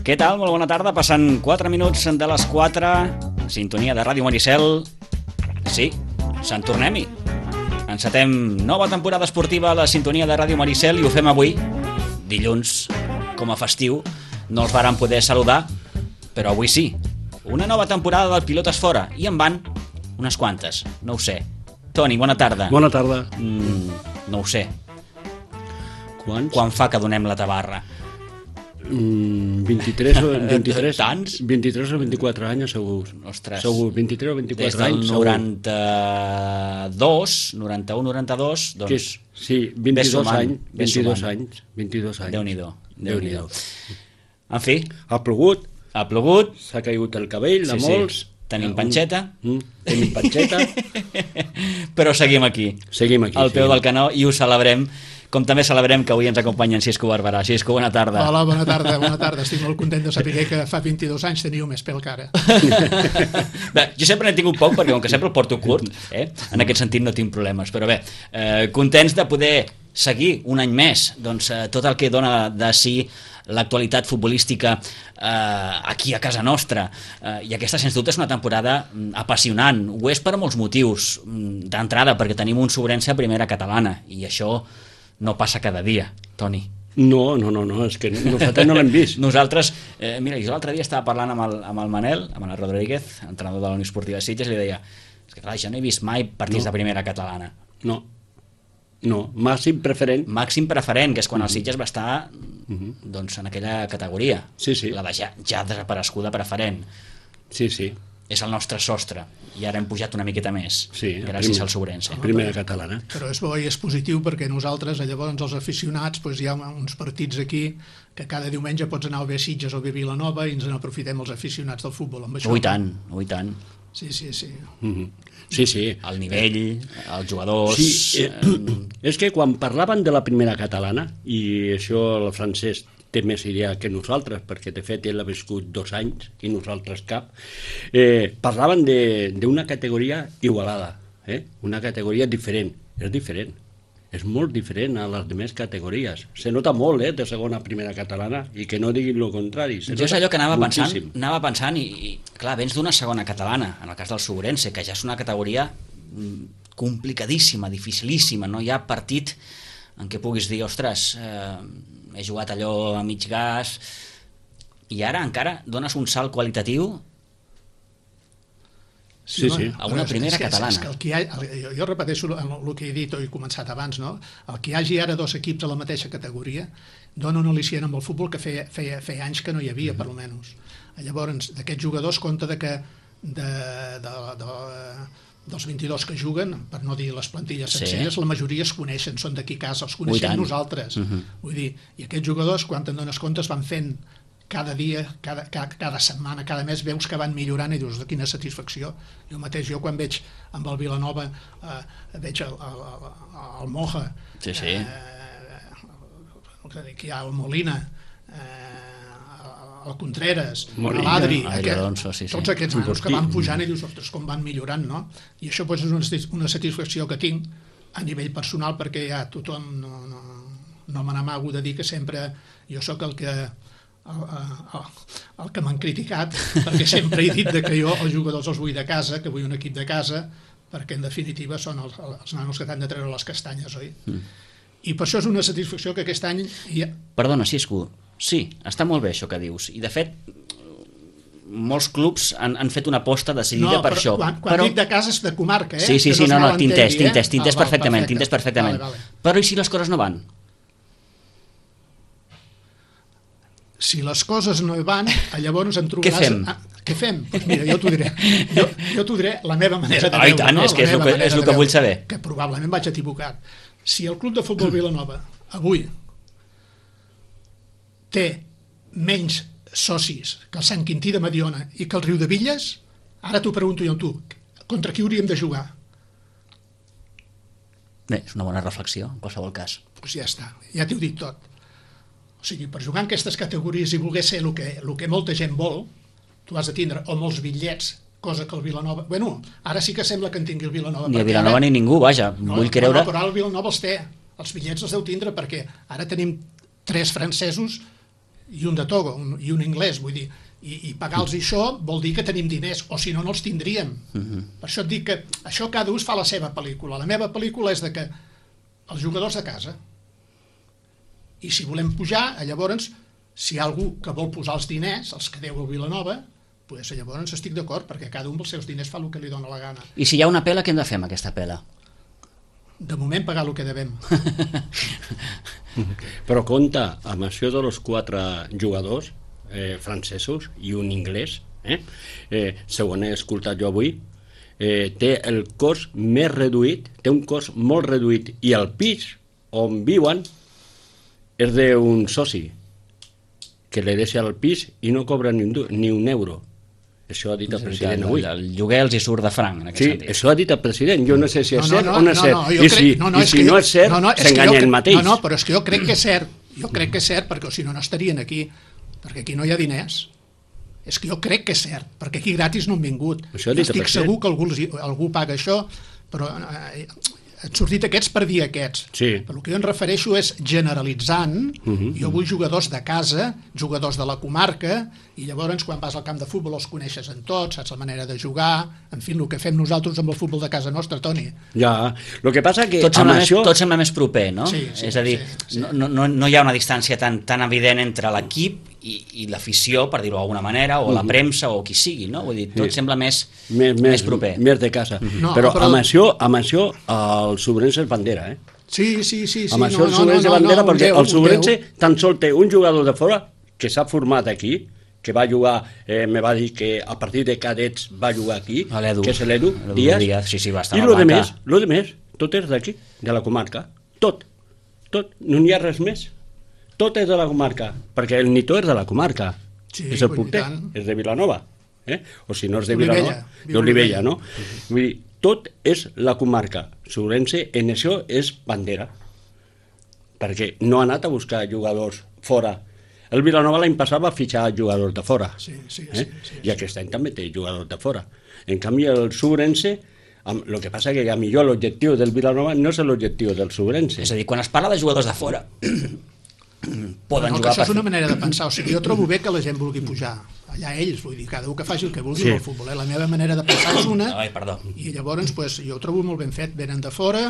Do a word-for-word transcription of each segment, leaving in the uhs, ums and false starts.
Què tal? Molt bona tarda. Passant quatre minuts de les quatre. Sintonia de Ràdio Maricel. Sí, Sant Tornem-hi. Encetem nova temporada esportiva a la sintonia de Ràdio Maricel i ho fem avui, dilluns, com a festiu. No els vàrem poder saludar, però avui sí. Una nova temporada del Pilotes Fora. I en van unes quantes, no ho sé. Toni, bona tarda. Bona tarda. Mm, no ho sé. Quants? Quan fa que donem la tabarra? Mm, vint-i-tres o vint-i-tres? Tants? vint-i-tres o vint-i-quatre anys, segur. Ostres. Segur, vint-i-tres o vint-i-quatre Des del anys, noranta-dos, noranta-un, noranta-dos, doncs... Que és, sí, vint-i-dos anys. Ves vint-i-dos sumant. anys. vint-i-dos anys. Déu-n'hi-do. Déu-n'hi-do. Déu-n'hi-do. En fi, Ha plogut, ha plogut, s'ha caigut el cabell de Sí, sí. molts. Tenim panxeta. Mm, tenim panxeta. però seguim aquí, Seguim aquí. al peu seguim. del canó, i ho celebrem, com també celebrem que avui ens acompanya en Xisco Barberà. Xisco, bona tarda. Hola, bona tarda, bona tarda. Estic molt content de saber que fa vint-i-dos anys teniu més pèl que ara. Bé, jo sempre n'he tingut poc, perquè com que sempre el porto curt, eh? En aquest sentit no tinc problemes, però bé, eh, contents de poder seguir un any més doncs, eh, tot el que dona de si l'actualitat futbolística eh, aquí a casa nostra, eh, i aquesta sens dubte és una temporada mm, apassionant. Ho és per molts motius. Mm, d'entrada perquè tenim un Sobrense a primera catalana i això no passa cada dia, Toni. No, no, no, no, és que nosaltres no l'hem vist. Nosaltres, eh, mira, jo l'altre dia estava parlant amb el, amb el Manel, amb el Rodríguez, entrenador de la Unió Esportiva de Sitges, i li deia, és que clar, jo no he vist mai partits No. de primera catalana. No, no, màxim preferent. Màxim preferent, que és quan el Sitges va estar doncs, en aquella categoria. Sí, sí. La de ja, ja desapareguda preferent. Sí, sí, És el nostre sostre. I ara hem pujat una miqueta més, sí. gràcies primer- al Sobrense. Primera catalana. Però és bo i és positiu perquè nosaltres, llavors els aficionats, doncs hi ha uns partits aquí que cada diumenge pots anar o bé a Sitges o bé a Vilanova i ens n'aprofitem els aficionats del futbol. Amb això. Ui tant, ui tant. Sí, sí, sí. Mhm. Sí, sí. El nivell, els jugadors... Sí, eh, és que quan parlaven de la primera catalana, i això el francès té més idea que nosaltres, perquè de fet ell ha viscut dos anys i nosaltres cap, eh, parlaven d'una categoria igualada, eh? Una categoria diferent. És diferent. És molt diferent a les demés categories. Se nota molt, eh, de segona a primera catalana, i que no diguin el contrari. Se Jo és nota allò que anava pensant, moltíssim. anava pensant i, i, clar, vens d'una segona catalana, en el cas del Sobrense, que ja és una categoria mm, complicadíssima, dificilíssima, no hi ha partit en què puguis dir, ostres, eh, he jugat allò a mig gas, i ara encara dones un salt qualitatiu Sí, sí. a una però és- primera és que- catalana. És que el que hi ha, el, jo, jo repeteixo el, el que he dit o he començat abans, no? El que hi hagi ara dos equips a la mateixa categoria dona un al·licient amb el futbol que feia, feia, feia anys que no hi havia, per almenys. Llavors, d'aquests jugadors, compte de que de, de, de, dels vint-i-dos que juguen, per no dir les plantilles Sí. sencelles, la majoria es coneixen, són d'aquí a casa, els Ui, coneixem tant. nosaltres. Mhm. Vull dir, i aquests jugadors, quan te'n dones compte, es van fent cada dia, cada, cada, cada setmana, cada mes, veus que van millorant i dius, de quina satisfacció. Jo mateix, jo quan veig amb el Vilanova, eh, veig el, el, el, el Moja, Sí, sí. eh, que hi ha el Molina, eh, el Contreras, Molina, l'Adri, Adri aquest, Alonso, sí, sí. tots aquests nanos que Portí. van pujant i dius, ostres, com van millorant, no? I això pues, és una, satis- una satisfacció que tinc a nivell personal perquè ja tothom no, no, no me n'amago de dir que sempre jo sóc el que el, el, el que m'han criticat perquè sempre he dit de que jo els jugadors els vull de casa, que vull un equip de casa, perquè en definitiva són els, els nanos que t'han de treure les castanyes, oi? Mm. I per això és una satisfacció que aquest any ja, Perdona, Xisco, sí, està molt bé això que dius, i de fet molts clubs han, han fet una aposta decidida per però això. Quan, quan però... dic de casa és de comarca, eh? Sí, sí, Que sí, es no, no, malentengui, t'intès, t'intès, eh? t'intès Ah, val, perfectament, perfecte. t'intès perfectament. Vale, vale. Però i si les coses no van? Si les coses no hi van, llavors em trobaràs... Què fem? Ah, què fem? Pues mira, jo t'ho diré. Jo, jo t'ho diré la meva manera de Ah, i veure. tant, no? és que La és el meva que- manera és el de que vull veure, saber. Que probablement vaig equivocat. Si el Club de Futbol Vilanova avui té menys socis que el Sant Quintí de Mediona i que el Riu de Villes, ara t'ho pregunto jo amb tu, contra qui hauríem de jugar? Bé, és una bona reflexió, en qualsevol cas. Doncs pues ja està, ja t'ho dit tot. O sigui, per jugar en aquestes categories i voler ser el que, el que molta gent vol, tu has de tindre o molts bitllets, cosa que el Vilanova... Bueno, ara sí que sembla que en tingui el Vilanova. Ni el perquè Vilanova ara- ni ningú, vaja, No, vull creure... No, però ara el Vilanova els té. Els bitllets els deu tindre perquè ara tenim tres francesos i un de Togo un, i un anglès, vull dir, i, i pagar-los això vol dir que tenim diners, o si no, no els tindríem. Uh-huh. Per això et dic que això cada ús fa la seva pel·lícula. La meva pel·lícula és de que els jugadors de casa, i si volem pujar, llavors, si hi ha algú que vol posar els diners, els que deu a Vilanova, doncs llavors estic d'acord, perquè cada un dels seus diners fa el que li dona la gana. I si hi ha una pela, què hem de fer amb aquesta pela? De moment pagar el que devem. Però compte amb això de los quatre jugadors eh, francesos i un anglès, eh? Eh, segons he escoltat jo avui, eh, té el cost més reduït, té un cost molt reduït, i el pis on viuen és d'un soci que li deixa el pis i no cobra ni un, ni un euro. Això ha dit el president el, avui. El, el lloguer els hi surt de franc, en aquest sí, sentit. això ha dit el president. Jo no sé si és no, no, cert no, o no és no, cert. no, I crec, si no, no, i si no jo, és cert, no, no, s'enganya ell mateix. No, no, però és que jo crec que és cert. Jo crec que és cert, perquè si no, no estarien aquí. Perquè aquí no hi ha diners. És que jo crec que és cert, perquè aquí gratis no han vingut. Estic segur que algú, algú paga això, però eh, han sortit aquests per dir aquests. Sí. Però el que jo em refereixo és generalitzant. Uh-huh. Jo vull jugadors de casa, jugadors de la comarca, i llavors quan vas al camp de futbol els coneixes en tots, saps la manera de jugar, en fi, el que fem nosaltres amb el futbol de casa nostra, Toni. Ja, el que passa que tot sembla, això... més, tot sembla més proper, no? Sí, sí, és a dir, sí, sí. No, no, no hi ha una distància tan, tan evident entre l'equip i, i l'afició, per dir-ho d'alguna manera, o la premsa, o qui sigui, no? Vull dir, tot sí. sembla més, més, més proper. Més de casa. Uh-huh. No, però, però amb això, amb això el Sobrense és bandera, eh? Sí, sí, sí. sí amb no, això el no, Sobrense no, és bandera, no, perquè Déu, el Sobrense tan sol té un jugador de fora que s'ha format aquí, que va jugar, eh, me va dir que a partir de cadets va jugar aquí, que és l'Edu Díaz, Díaz sí, sí, va estar i el de més, lo de més, tot és d'aquí, de la comarca, tot, tot, no n'hi ha res més, tot és de la comarca, perquè el Nito és de la comarca, sí, és el porter, és de Vilanova, eh? O si no és de Olivella, Vilanova, d'Olivella, no? Vull dir, tot és la comarca, Sobrense en això és bandera, perquè no ha anat a buscar jugadors fora. El Vilanova l'any passat va fitxar jugadors de fora, sí, sí, eh? sí, sí, i aquest any també té jugadors de fora. En canvi, el Sobrense, amb, el que passa que a millor l'objectiu del Vilanova no és l'objectiu del Sobrense. És a dir, quan es parla de jugadors de fora, poden no, jugar... Això és una manera de pensar. O sigui, jo trobo bé que la gent vulgui pujar. Allà ells, vull dir, cada un que faci el que vulgui sí. amb el futbol. Eh? La meva manera de pensar és una, Ai, perdó. i llavors pues, jo ho trobo molt ben fet. Venen de fora,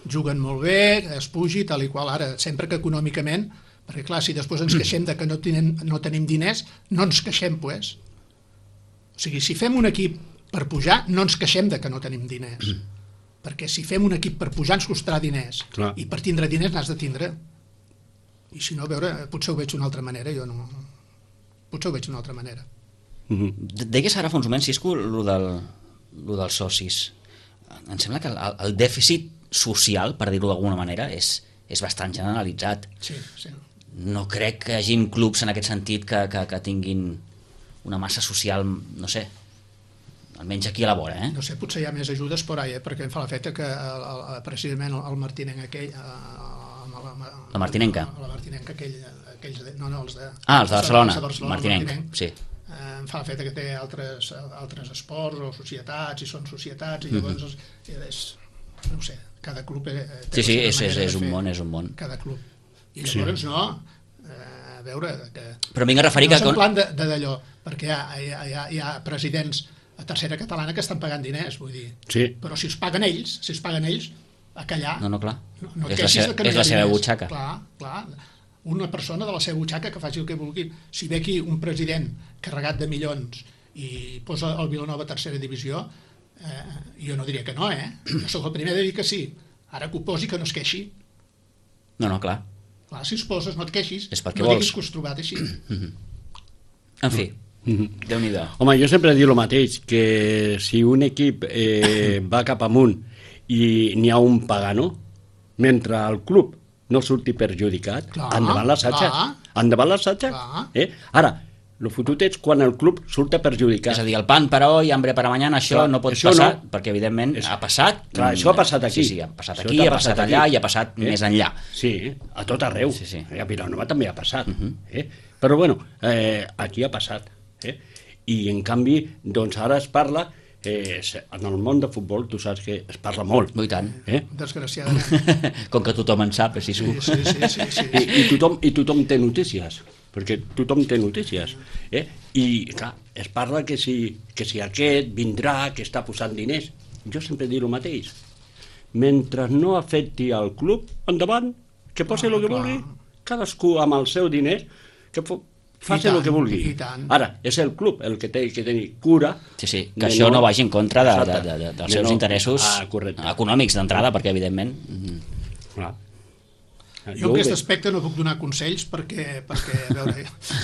juguen molt bé, es pugi, tal i qual. Ara, sempre que econòmicament, perquè clar, si després ens queixem de que no tenim, no tenim diners, no ens queixem, pues. O sigui, si fem un equip per pujar, no ens queixem de que no tenim diners. Perquè si fem un equip per pujar ens costarà diners. Clar. I per tindre diners n'has de tindre. I si no, a veure, potser ho veig d'una altra manera, jo no... Potser ho veig d'una altra manera. Mm-hmm. Deies ara fa uns moments, Cisco, el del, lo dels socis. Em sembla que el, el dèficit social, per dir-ho d'alguna manera, és, és bastant generalitzat. Sí, sí. No crec que hi hagi clubs en aquest sentit que, que, que tinguin una massa social, no sé, almenys aquí a la vora, eh? No sé, potser hi ha més ajudes per ahí, eh? Perquè em fa l'efecte que el, el, precisament el Martinenc aquell... El, el, la Martinenca? La Martinenca aquell, aquells de, no, no, els de... Ah, els de Barcelona, els de Barcelona Martinenc, Martinenc. sí. Eh, em fa l'efecte que té altres, altres esports o societats, i són societats, i llavors mm-hmm. és, no sé, cada club té sí, sí, és, és, és un fer, món, és un món. Cada club. I llavors sí. no, eh, a veure... Que, però vinc a referir no que... No és en plan de, de d'allò, perquè hi ha, hi, ha, hi, ha, hi ha presidents a tercera catalana que estan pagant diners, vull dir. Sí. Però si es paguen ells, si es paguen ells, a callar... No, no, clar. No, no és la, seva, no és la seva butxaca. Clar, clar. Una persona de la seva butxaca que faci el que vulgui. Si ve aquí un president carregat de milions i posa el Vilanova a tercera divisió, eh, jo no diria que no, eh? Jo soc el primer de dir que sí. Ara que ho posi, que no es queixi. No, no, clar. Clar, si es poses, no et queixis. És perquè no vols. diguis que us trobat així. En fi, Déu-n'hi-do. Home, jo sempre dic el mateix, que si un equip eh, va cap amunt i n'hi ha un pagano, mentre el club no surti perjudicat, clar, endavant l'assatge. Endavant l'assatge. Eh? Ara, el fotut és quan el club surta perjudicat. És a dir, el pan per hoy, hambre per mañana, això clar, no pot això passar, no. perquè evidentment és... ha passat. Clar, això ha passat aquí. Sí, sí, ha passat això aquí, ha passat, passat allà aquí. i ha passat eh? més enllà. Sí, a tot arreu. Sí, sí. A Vilanova també ha passat. Uh-huh. eh? Però bueno, eh, aquí ha passat. Eh? I en canvi, doncs ara es parla... Eh, en el món de futbol tu saps que es parla molt. I tant. Eh? Desgraciadament. Com que tothom en sap, així sí, sí, sí, sí, sí, sí. I, i, tothom, I tothom té notícies. perquè tothom té notícies. Eh? I, clar, es parla que si, que si aquest vindrà, que està posant diners. Jo sempre dic el mateix. Mentre no afecti al club, endavant, que posi el que vulgui, cadascú amb el seu diner, que faci el que vulgui. Ara, és el club el que té que tenir cura. Sí, sí, que això no, no vagi en contra de, de, de, de, dels seus no, interessos ah, econòmics d'entrada, perquè evidentment... Clar. Jo en aquest aspecte no puc donar consells perquè, perquè a veure,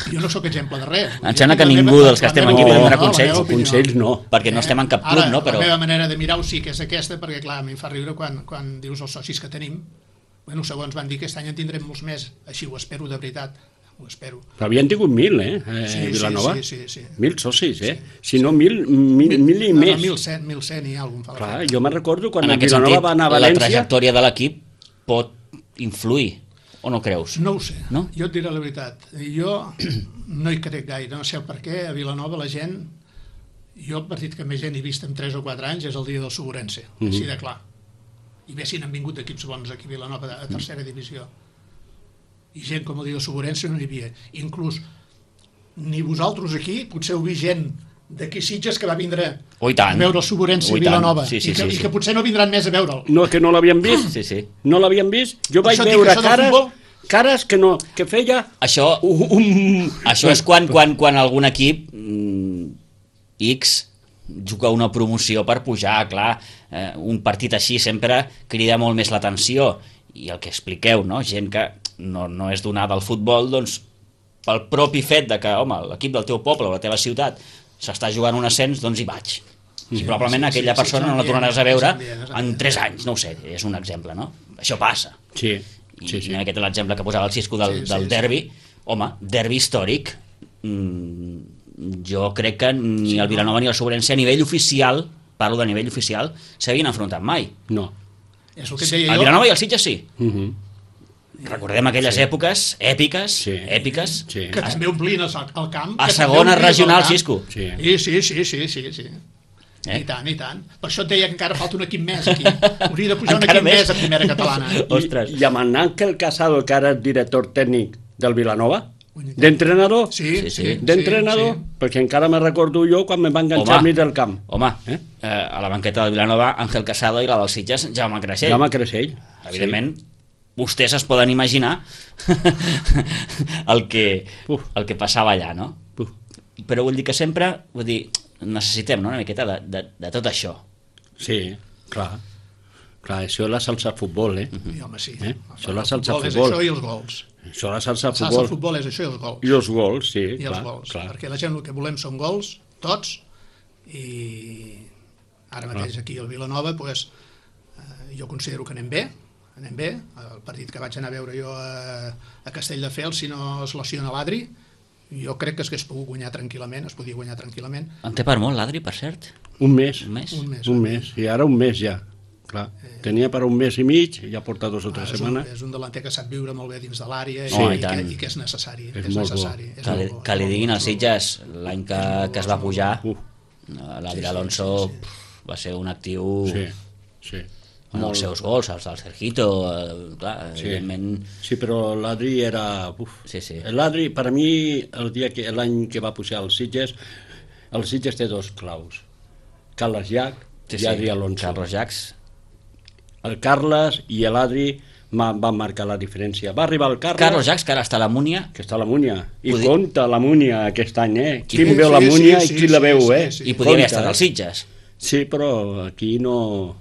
jo no sóc exemple de res. Em sembla que ningú meva, dels que estem aquí podem donar consells. Consells no. Perquè no estem en cap club, Ara, no? Però... la meva manera de mirar-ho sí que és aquesta, perquè clar, a mi em fa riure quan, quan dius els socis que tenim. Bueno, segons van dir que aquest any en tindrem molts més, així ho espero de veritat. Ho espero. Però havien tingut mil, eh, eh sí, Vilanova? Sí, sí, sí, sí. Mil socis, eh? Sí. Si no, mil, mil, mil i no, més. No, mil cent, mil cent i alguna cosa. Clar, jo me'n recordo quan en el Vilanova sentit, va anar a València... la trajectòria de l'equip pot influir, o no creus? No ho sé, no? Jo et diré la veritat. Jo no hi crec gaire, no sé el per què. A Vilanova la gent... Jo el partit que més gent he vist en tres o quatre anys és el dia del Suburense, mm -hmm. així de clar. I bé si n'han vingut equips bons aquí a Vilanova a tercera divisió. I gent com el dia del Suburense no hi havia. Inclús ni vosaltres aquí, potser heu vist gent d'aquí Sitges que va vindre oh, a veure el Suburense a Vilanova sí, sí, i, que, sí, sí. i que potser no vindran més a veure'l. No, que no l'havien vist? Sí, sí. No l'havien vist? Jo vaig Això veure dic, cares, cares que, no, que feia... Això, un... això és quan, quan, quan algun equip mm, X juga una promoció per pujar, clar, eh, un partit així sempre crida molt més l'atenció, i el que expliqueu, no? Gent que no, no és donada al futbol, doncs pel propi fet de que, home, l'equip del teu poble o la teva ciutat s'està jugant un ascens, doncs hi vaig. I probablement aquella persona no la tornaràs a veure en tres anys, no ho sé, és un exemple, no? Això passa. Sí, I sí, sí. aquest és l'exemple que posava el Xisco del, del derbi. Home, derbi històric, mm, jo crec que ni el Vilanova ni el Suburense a nivell oficial, parlo de nivell oficial, s'havien enfrontat mai. No. És el que et deia El jo. Vilanova i el Sitges sí. Uh -huh. Recordem aquelles Sí. èpoques èpiques, Sí. èpiques, Sí. Que també omplien el, el camp. a que també segona omplien el regional, camp. Xisco. Sí. Sí, sí, sí, sí, sí, sí. Eh? I tant, i tant. Per això et deia que encara falta un equip més aquí. Hauria de pujar un Encara equip més? més a primera catalana. Ostres. I, I amb en Àngel Casado, que ara és director tècnic del Vilanova, Ui, d'entrenador, Sí, Sí, sí, sí. sí. d'entrenador, sí. perquè encara me recordo jo quan me va enganxar al mig del camp. Home, Eh? eh? a la banqueta del Vilanova, Ángel Casado, i la del Sitges, Jaume Creixell. Jaume Creixell. Evidentment, sí. Vostès es poden imaginar el, que, Uf. el que passava allà, no? Uf. Però vull dir que sempre, vull dir, necessitem, no?, una miqueta de, de, de tot això. Sí, clar. Clar, això és la salsa futbol, eh? I home, sí. Eh? El Això és la salsa futbol és futbol. això i els gols. Això és la salsa El futbol. futbol és això i els gols. I els gols, sí, I clar. els gols. clar. Perquè la gent el que volem són gols, tots, i ara mateix aquí al Vilanova pues, eh, jo considero que anem bé, anem bé. El partit que vaig anar a veure jo a, a Castelldefels, si no es lesiona l'Adri, jo crec que es hagués pogut guanyar tranquil·lament, es podia guanyar tranquil·lament. En té per molt, l'Adri, per cert? Un mes. Un mes? Un mes. Un mes. I ara un mes ja. Clar. Tenia per un mes i mig, ja porta dos o tres Ah, és, un, setmanes. és un delanter que sap viure molt bé dins de l'àrea Sí, i, i i, que, tant. i que és necessari. És que és molt bo. necessari. És Que li, molt bo, que li és molt diguin bo, als és molt bo. Sitges l'any que, que es va pujar, Uf. l'Adri Sí, sí, Alonso sí, sí. pf, va ser un actiu Sí, sí. amb els seus gols, els del Sergito, eh, clar, Sí. evidentment... Sí, però l'Adri era... Uf. Sí, sí. L'Adri, per a mi, el dia que l'any que va pujar als Sitges, el Sitges té dos claus. Carles Llach Sí, i sí. Adri Alonso. Carlos Jacques. El Carles i l'Adri van marcar la diferència. Va arribar el Carles, Carlos Jacques, que ara està a la Múnia. que està a la Múnia, i Podia- compta la Múnia aquest any, eh? Qui Sí, veu la sí, Múnia sí, i sí, qui la sí, veu, sí, eh? sí. I podria haver Compta, estat eh? als Sitges. Sí, però aquí no...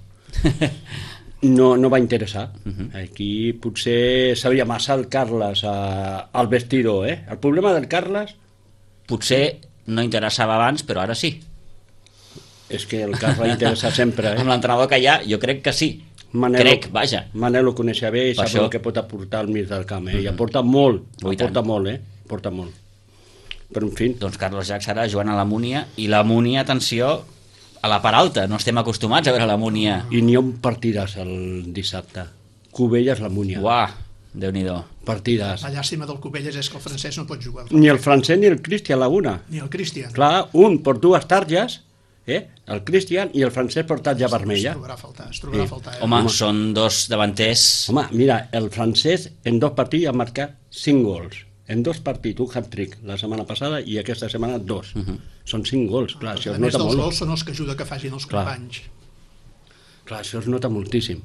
no, no va interessar. Aquí potser sabia massa el Carles a, al vestidor, eh? El problema del Carles Potser no interessava abans, però ara sí. és que el Carles va interessar sempre, Amb eh? l'entrenador que hi ha, jo crec que sí. Manel, Crec, vaja. Manel ho coneixia bé i Per sap això. el que pot aportar al mig del camp, eh? I aporta molt, Oh, i aporta tant. molt, eh? Aporta molt. Però, en fi, Doncs Carlos Jacques ara jugant a la Múnia, i la Múnia, atenció, a la part alta. No estem acostumats a veure la Múnia. i n'hi ha un partidàs el dissabte. Cubelles, la Múnia. Uah, Déu-n'hi-do. Partidàs. La llàstima del Cubelles és que el francès no pot jugar. Ni el francès ni el Cristian Laguna. Ni el Cristian. Clar, un per dues targes, eh? El Cristian, i el francès per tarja Es vermella. trobarà a faltar, es trobarà a Sí. faltar. Eh? Home, Home. són dos davanters... Home, mira, el francès en dos partits ha marcat cinc gols. En dos partits, un hat-trick la setmana passada i aquesta setmana dos. Uh -huh. Són cinc gols, clar, això A es més nota dels molt. gols són els que ajuda que facin els Clar. companys. Clar, això es nota moltíssim.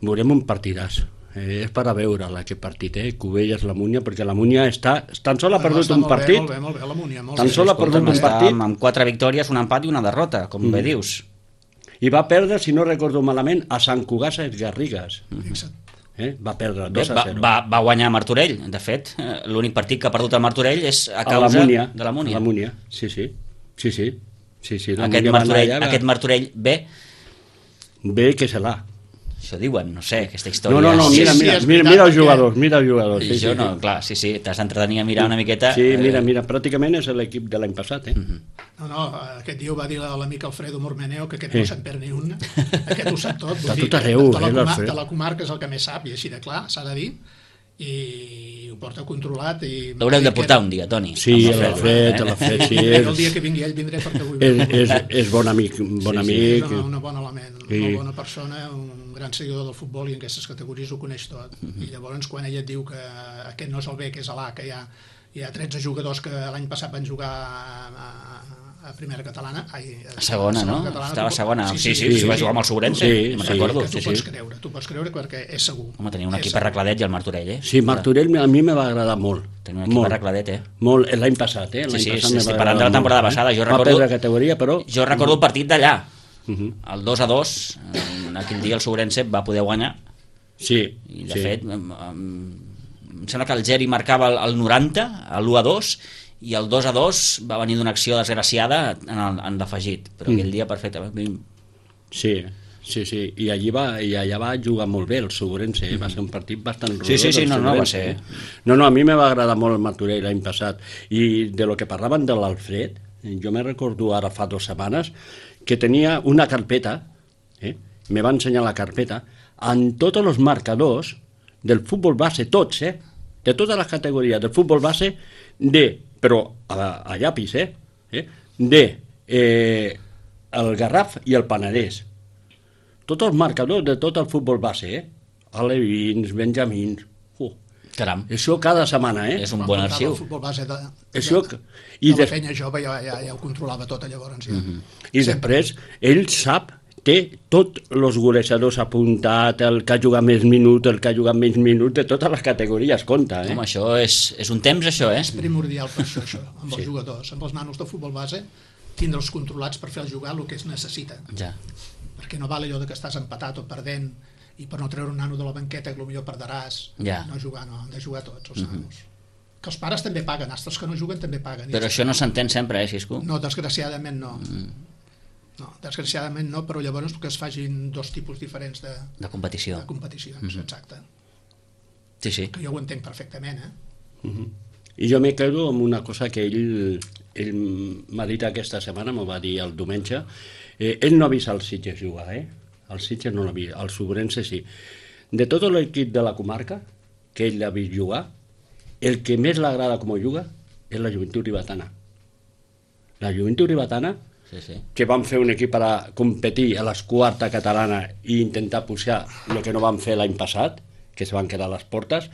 Veurem un partidàs. Eh, és per a veure aquest partit, eh? Cubelles, la Múnia, perquè la Múnia està... Tan sol ha No, perdut està un molt bé, partit, Molt bé, molt bé, la Múnia, molt Tan bé. sol ha perdut un està partit. amb, amb quatre victòries, un empat i una derrota, com bé dius. i va perdre, si no recordo malament, a Sant Cugat Garrigues. Fixa't. Eh? Va perdre Bé, dos a va, zero. va, va guanyar Martorell. De fet, eh, l'únic partit que ha perdut el Martorell és a A causa la Múnia, de la Múnia. La Múnia, sí, sí. Sí, sí. sí, sí la Aquest Múnia va anar Martorell, allà, aquest Martorell bé, Bé que se l'ha. això diuen, no sé, aquesta història. No, no, no, Sí, mira, sí, mira, és mira, veritat, mira els perquè- jugadors, mira els jugadors. I Sí, jo sí, no, clar, sí, sí, t'has d'entretenir a mirar una miqueta. Sí, mira, eh, mira, pràcticament és l'equip de l'any passat, eh? No, no, aquest dia ho va dir l'amic Alfredo Mormeneo, que aquest Sí. no se'n perd ni un. Aquest ho sap tot. Està vull dir tot que arreu, de, la eh, comar l'Alfredo. de la comarca és el que més sap, i així de clar, s'ha de dir, i ho porta controlat. I L'haurem de portar un dia, Toni. Sí, amb l'Alfred, eh? l'Alfred, sí, el és, dia que vingui ell vindré perquè vull és, veure. és, és bon amic, bon Sí, sí, amic. És una, una bona element, Sí. molt bona persona, un gran seguidor del futbol i en aquestes categories ho coneix tot. I llavors quan ella et diu que aquest no és el B, que és l'A, que hi ha, hi ha tretze jugadors que l'any passat van jugar a, a, a primera catalana, ai, A segona, no? catalana, Estava a tu- segona. Sí, sí, sí, sí, va sí. jugar amb el Sobrense, Sí, me'n sí. recordo. que tu sí, pots sí. creure, tu pots creure perquè és segur. Home, tenia un És equip segur. arregladet i el Martorell, eh? Sí, Martorell a mi me va agradar molt. Tenia un equip molt, arregladet, eh? molt, l'any passat, eh? L'any Sí, sí, passat sí, me estic va parlant de la agradar temporada molt, passada, jo Va recordo- perdre categoria, però... Jo recordo el partit d'allà, Uh -huh. el dos a dos, en aquell dia el Sobrense va poder guanyar, Sí, i de sí. fet em, em, em sembla que el Geri marcava el, el noranta, l'u a dos, i el dos a dos va venir d'una acció desgraciada en, el, en l'afegit, però Mm. aquell dia perfectament. Sí, sí, sí, i allí va, i allà va jugar molt bé el Segurense, eh? Va ser un partit bastant rodó. Sí, sí, sí, del no, no, va Segurense, ser. eh? No, no, a mi me va agradar molt el Martorell l'any passat, i de lo que parlaven de l'Alfred, jo me recordo ara fa dues setmanes que tenia una carpeta, eh? me va ensenyar la carpeta, amb tots els marcadors del futbol base, tots, eh? de totes les categories del futbol base, de, però a, a llapis, eh? eh? de eh, el Garraf i el Penedès. Tots els marcadors de tot el futbol base, eh? Alevins, Benjamins... Uh, Caram, això cada setmana, eh? és un Quan bon portava arxiu. El futbol base de, de, Això, de, i, de la des, penya jove ja, ja, ja ho controlava tot llavors. Ja. I després ell sap, té tots els golejadors apuntat, el que ha jugat més minuts, el que ha jugat menys minuts, de totes les categories, compta, eh? Home, això és, és un temps, això, eh? És primordial per això, això, amb els Sí. jugadors, amb els nanos de futbol base, tindre'ls controlats per fer jugar el que es necessita. Ja. Perquè no val allò de que estàs empatat o perdent i per no treure un nano de la banqueta que potser perdràs. Ja. No jugar, no, han de jugar tots els nanos. Que els pares també paguen, els que no juguen també paguen. I Però això no s'entén sempre, eh, Xisco? No, desgraciadament no. No, desgraciadament no, però llavors que es facin dos tipus diferents de, De competició. de competicions, exacte. Sí, sí. Que jo ho entenc perfectament, eh? I jo me quedo amb una cosa que ell, ell m'ha dit aquesta setmana, m'ho va dir el diumenge. Eh, ell no ha vist el Sitges jugar, eh? El Sitges no l'ha vist, el Sobrense sí. De tot l'equip de la comarca que ell l'ha vist jugar, el que més l'agrada com juga és la Joventut Ribetana. La Joventut Ribetana, Sí, sí. que van fer un equip per a competir a l'esquarta catalana i intentar pujar el que no van fer l'any passat, que se van quedar a les portes,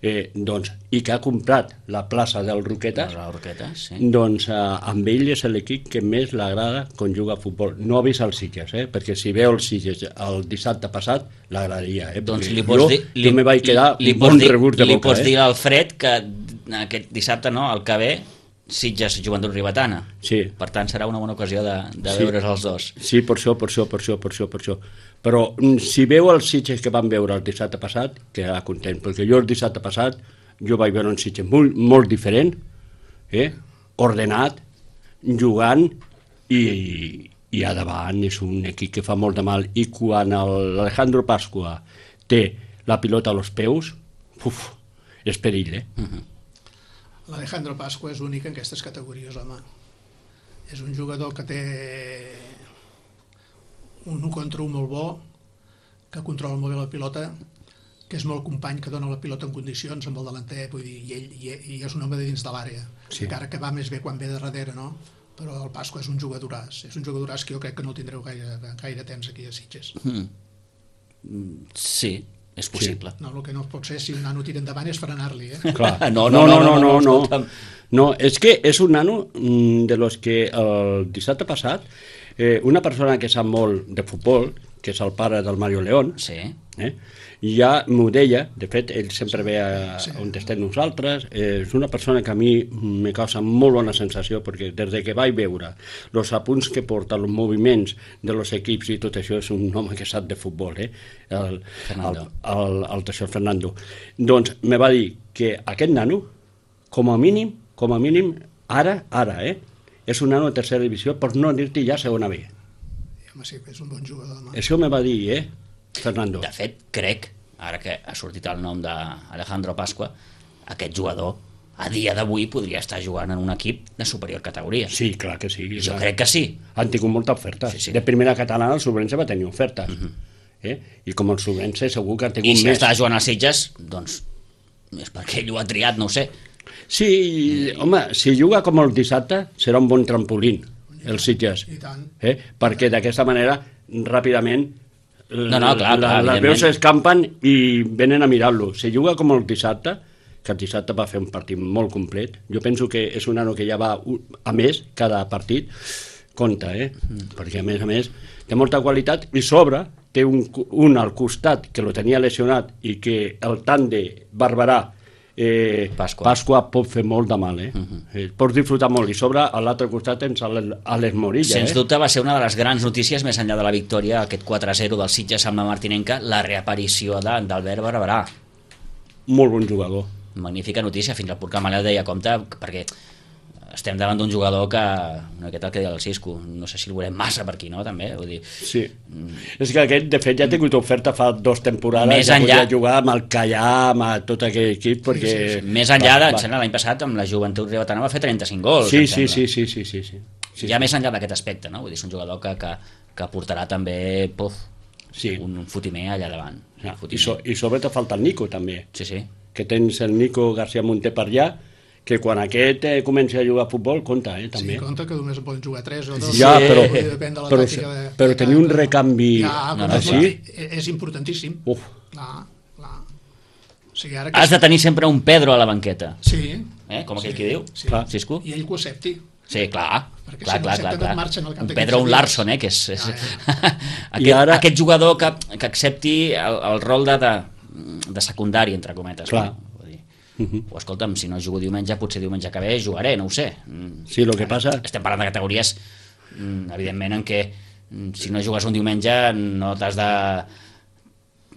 eh, doncs, i que ha comprat la plaça del Roquetes, Les Roquetes, sí. doncs eh, amb ell és l'equip que més l'agrada quan juga a futbol. No ha vist el Sitges, eh? Perquè si veu el Sitges el dissabte passat, l'agradaria. Eh? Doncs Perquè li pots jo, dir... jo me vaig quedar li, un pots bon dir, rebut de li boca. pots Eh? dir a Alfred que aquest dissabte, no, el que ve, Sitges Joventut Ribetana. Sí. Per tant, serà una bona ocasió de, de Sí. veure's els dos. Sí, per això, per això, per això, per això, per això. Però mm, si veu els Sitges que van veure el dissabte passat, quedarà content, perquè jo el dissabte passat jo vaig veure un Sitges molt, molt diferent, eh? ordenat, jugant, i, i a davant és un equip que fa molt de mal, i quan l'Alejandro Pasqua té la pilota als peus, uf, és perill, eh? Uh -huh. L'Alejandro Pasqua és únic en aquestes categories, home. És un jugador que té un u contra un molt bo, que controla molt bé la pilota, que és molt company, que dona la pilota en condicions amb el delanter, vull dir, i ell i, i és un home de dins de l'àrea, Sí. encara que va més bé quan ve de darrere, no? Però el Pasqua és un jugadoràs, és un jugadoràs que jo crec que no el tindreu gaire, gaire temps aquí a Sitges. Mm. Mm, Sí, és possible. No, el que no pot ser, si un nano tira endavant, és frenar-li, eh? Clar. No, no, no, no, no, no, no. escolta'm. No, és que és un nano mm, de los que el dissabte passat eh, una persona que sap molt de futbol, que és el pare del Mario León, Sí. eh, ja m'ho deia, de fet ell sempre ve a, sí. on estem nosaltres, eh, és una persona que a mi me causa molt bona sensació, perquè des de que vaig veure els apunts que porta, els moviments de los equips i tot això, és un home que sap de futbol, eh? el, el, el, el Teixó Fernando. Doncs me va dir que aquest nano, com a mínim, com a mínim, ara, ara, eh, és un nano de tercera divisió, per no dir-te ja segona B. Home, sí, és un bon jugador. No? Això me va dir, eh, Fernando. De fet, crec, ara que ha sortit el nom d'Alejandro Pasqua, aquest jugador a dia d'avui podria estar jugant en un equip de superior categoria. Sí, clar que sí. Jo clar. crec que sí. Han tingut molta oferta. Sí, sí. De primera catalana el Sobrense va tenir ofertes. Uh -huh. eh? I com el Sobrense segur que han tingut I si més. està jugant als Sitges, doncs és perquè ell ho ha triat, no ho sé. Sí, home, si juga com el dissabte serà un bon trampolín, els Sitges. I tant. Eh? Perquè d'aquesta manera, ràpidament, No, no, clar, clar, les veus s'escampen i venen a mirar-lo. Si juga com el dissabte, que el dissabte va fer un partit molt complet, jo penso que és un nano que ja va a més cada partit, compta, eh? Mm. Perquè a més a més té molta qualitat i sobre té un, un al costat que lo tenia lesionat i que el tant de Barberà Eh, Pasqua. Pasqua pot fer molt de mal, eh? Uh -huh. eh pots disfrutar molt, i sobre a l'altre costat tens Àlex Morilla. Sens eh? dubte va ser una de les grans notícies més enllà de la victòria, aquest quatre a zero del Sitges amb la Martinenca, la reaparició d'Albert Barberà. Molt bon jugador. Magnífica notícia, fins al punt que Manel deia compte, perquè estem davant d'un jugador que, no, aquest el que deia el Cisco, no sé si el volem massa per aquí, no, també, vull dir... Sí, mm. és que aquest, de fet, ja ha tingut oferta fa dos temporades, més ja enllà... podia jugar amb el Callà, amb tot aquell equip, perquè... Sí, sí, sí. Més enllà, de, em sembla, l'any passat, amb la Joventut Ribetana va fer trenta-cinc gols, sí, sí, sí, sí, sí, sí, sí. sí. Ja més enllà d'aquest aspecte, no? Vull dir, és un jugador que, que, que portarà també, puf, sí. un, un fotimer allà davant. Ja. I, so, I sobretot falta el Nico, també. Sí, sí. Que tens el Nico García Monter per allà, que quan aquest eh, comenci a jugar a futbol, compta, eh, també. Sí, compta que només en poden jugar tres o dos. Ja, però, depèn de la però, tàctica de, però de tenir un recanvi ja, no, no, així... És importantíssim. Uf. Clar, clar. O sigui, ara que Has de tenir sempre un Pedro a la banqueta, Sí. eh? com aquell sí, que diu, sí. clar. Cisco. I ell que ho accepti. Sí, clar, Perquè clar, si no clar, accepten, clar, et clar. marxen al cap Un de Pedro, un quinze Larson, dies. eh, que és, és... Ja, aquest, ara- aquest jugador que, que accepti el, el rol de, de, de secundari, entre cometes. Clar. No? Vull dir, o escolta'm, si no jugo diumenge, potser diumenge que ve jugaré, no ho sé. Sí, el que passa... Estem parlant de categories, mm, evidentment, en què mm, si no jugues un diumenge no t'has de,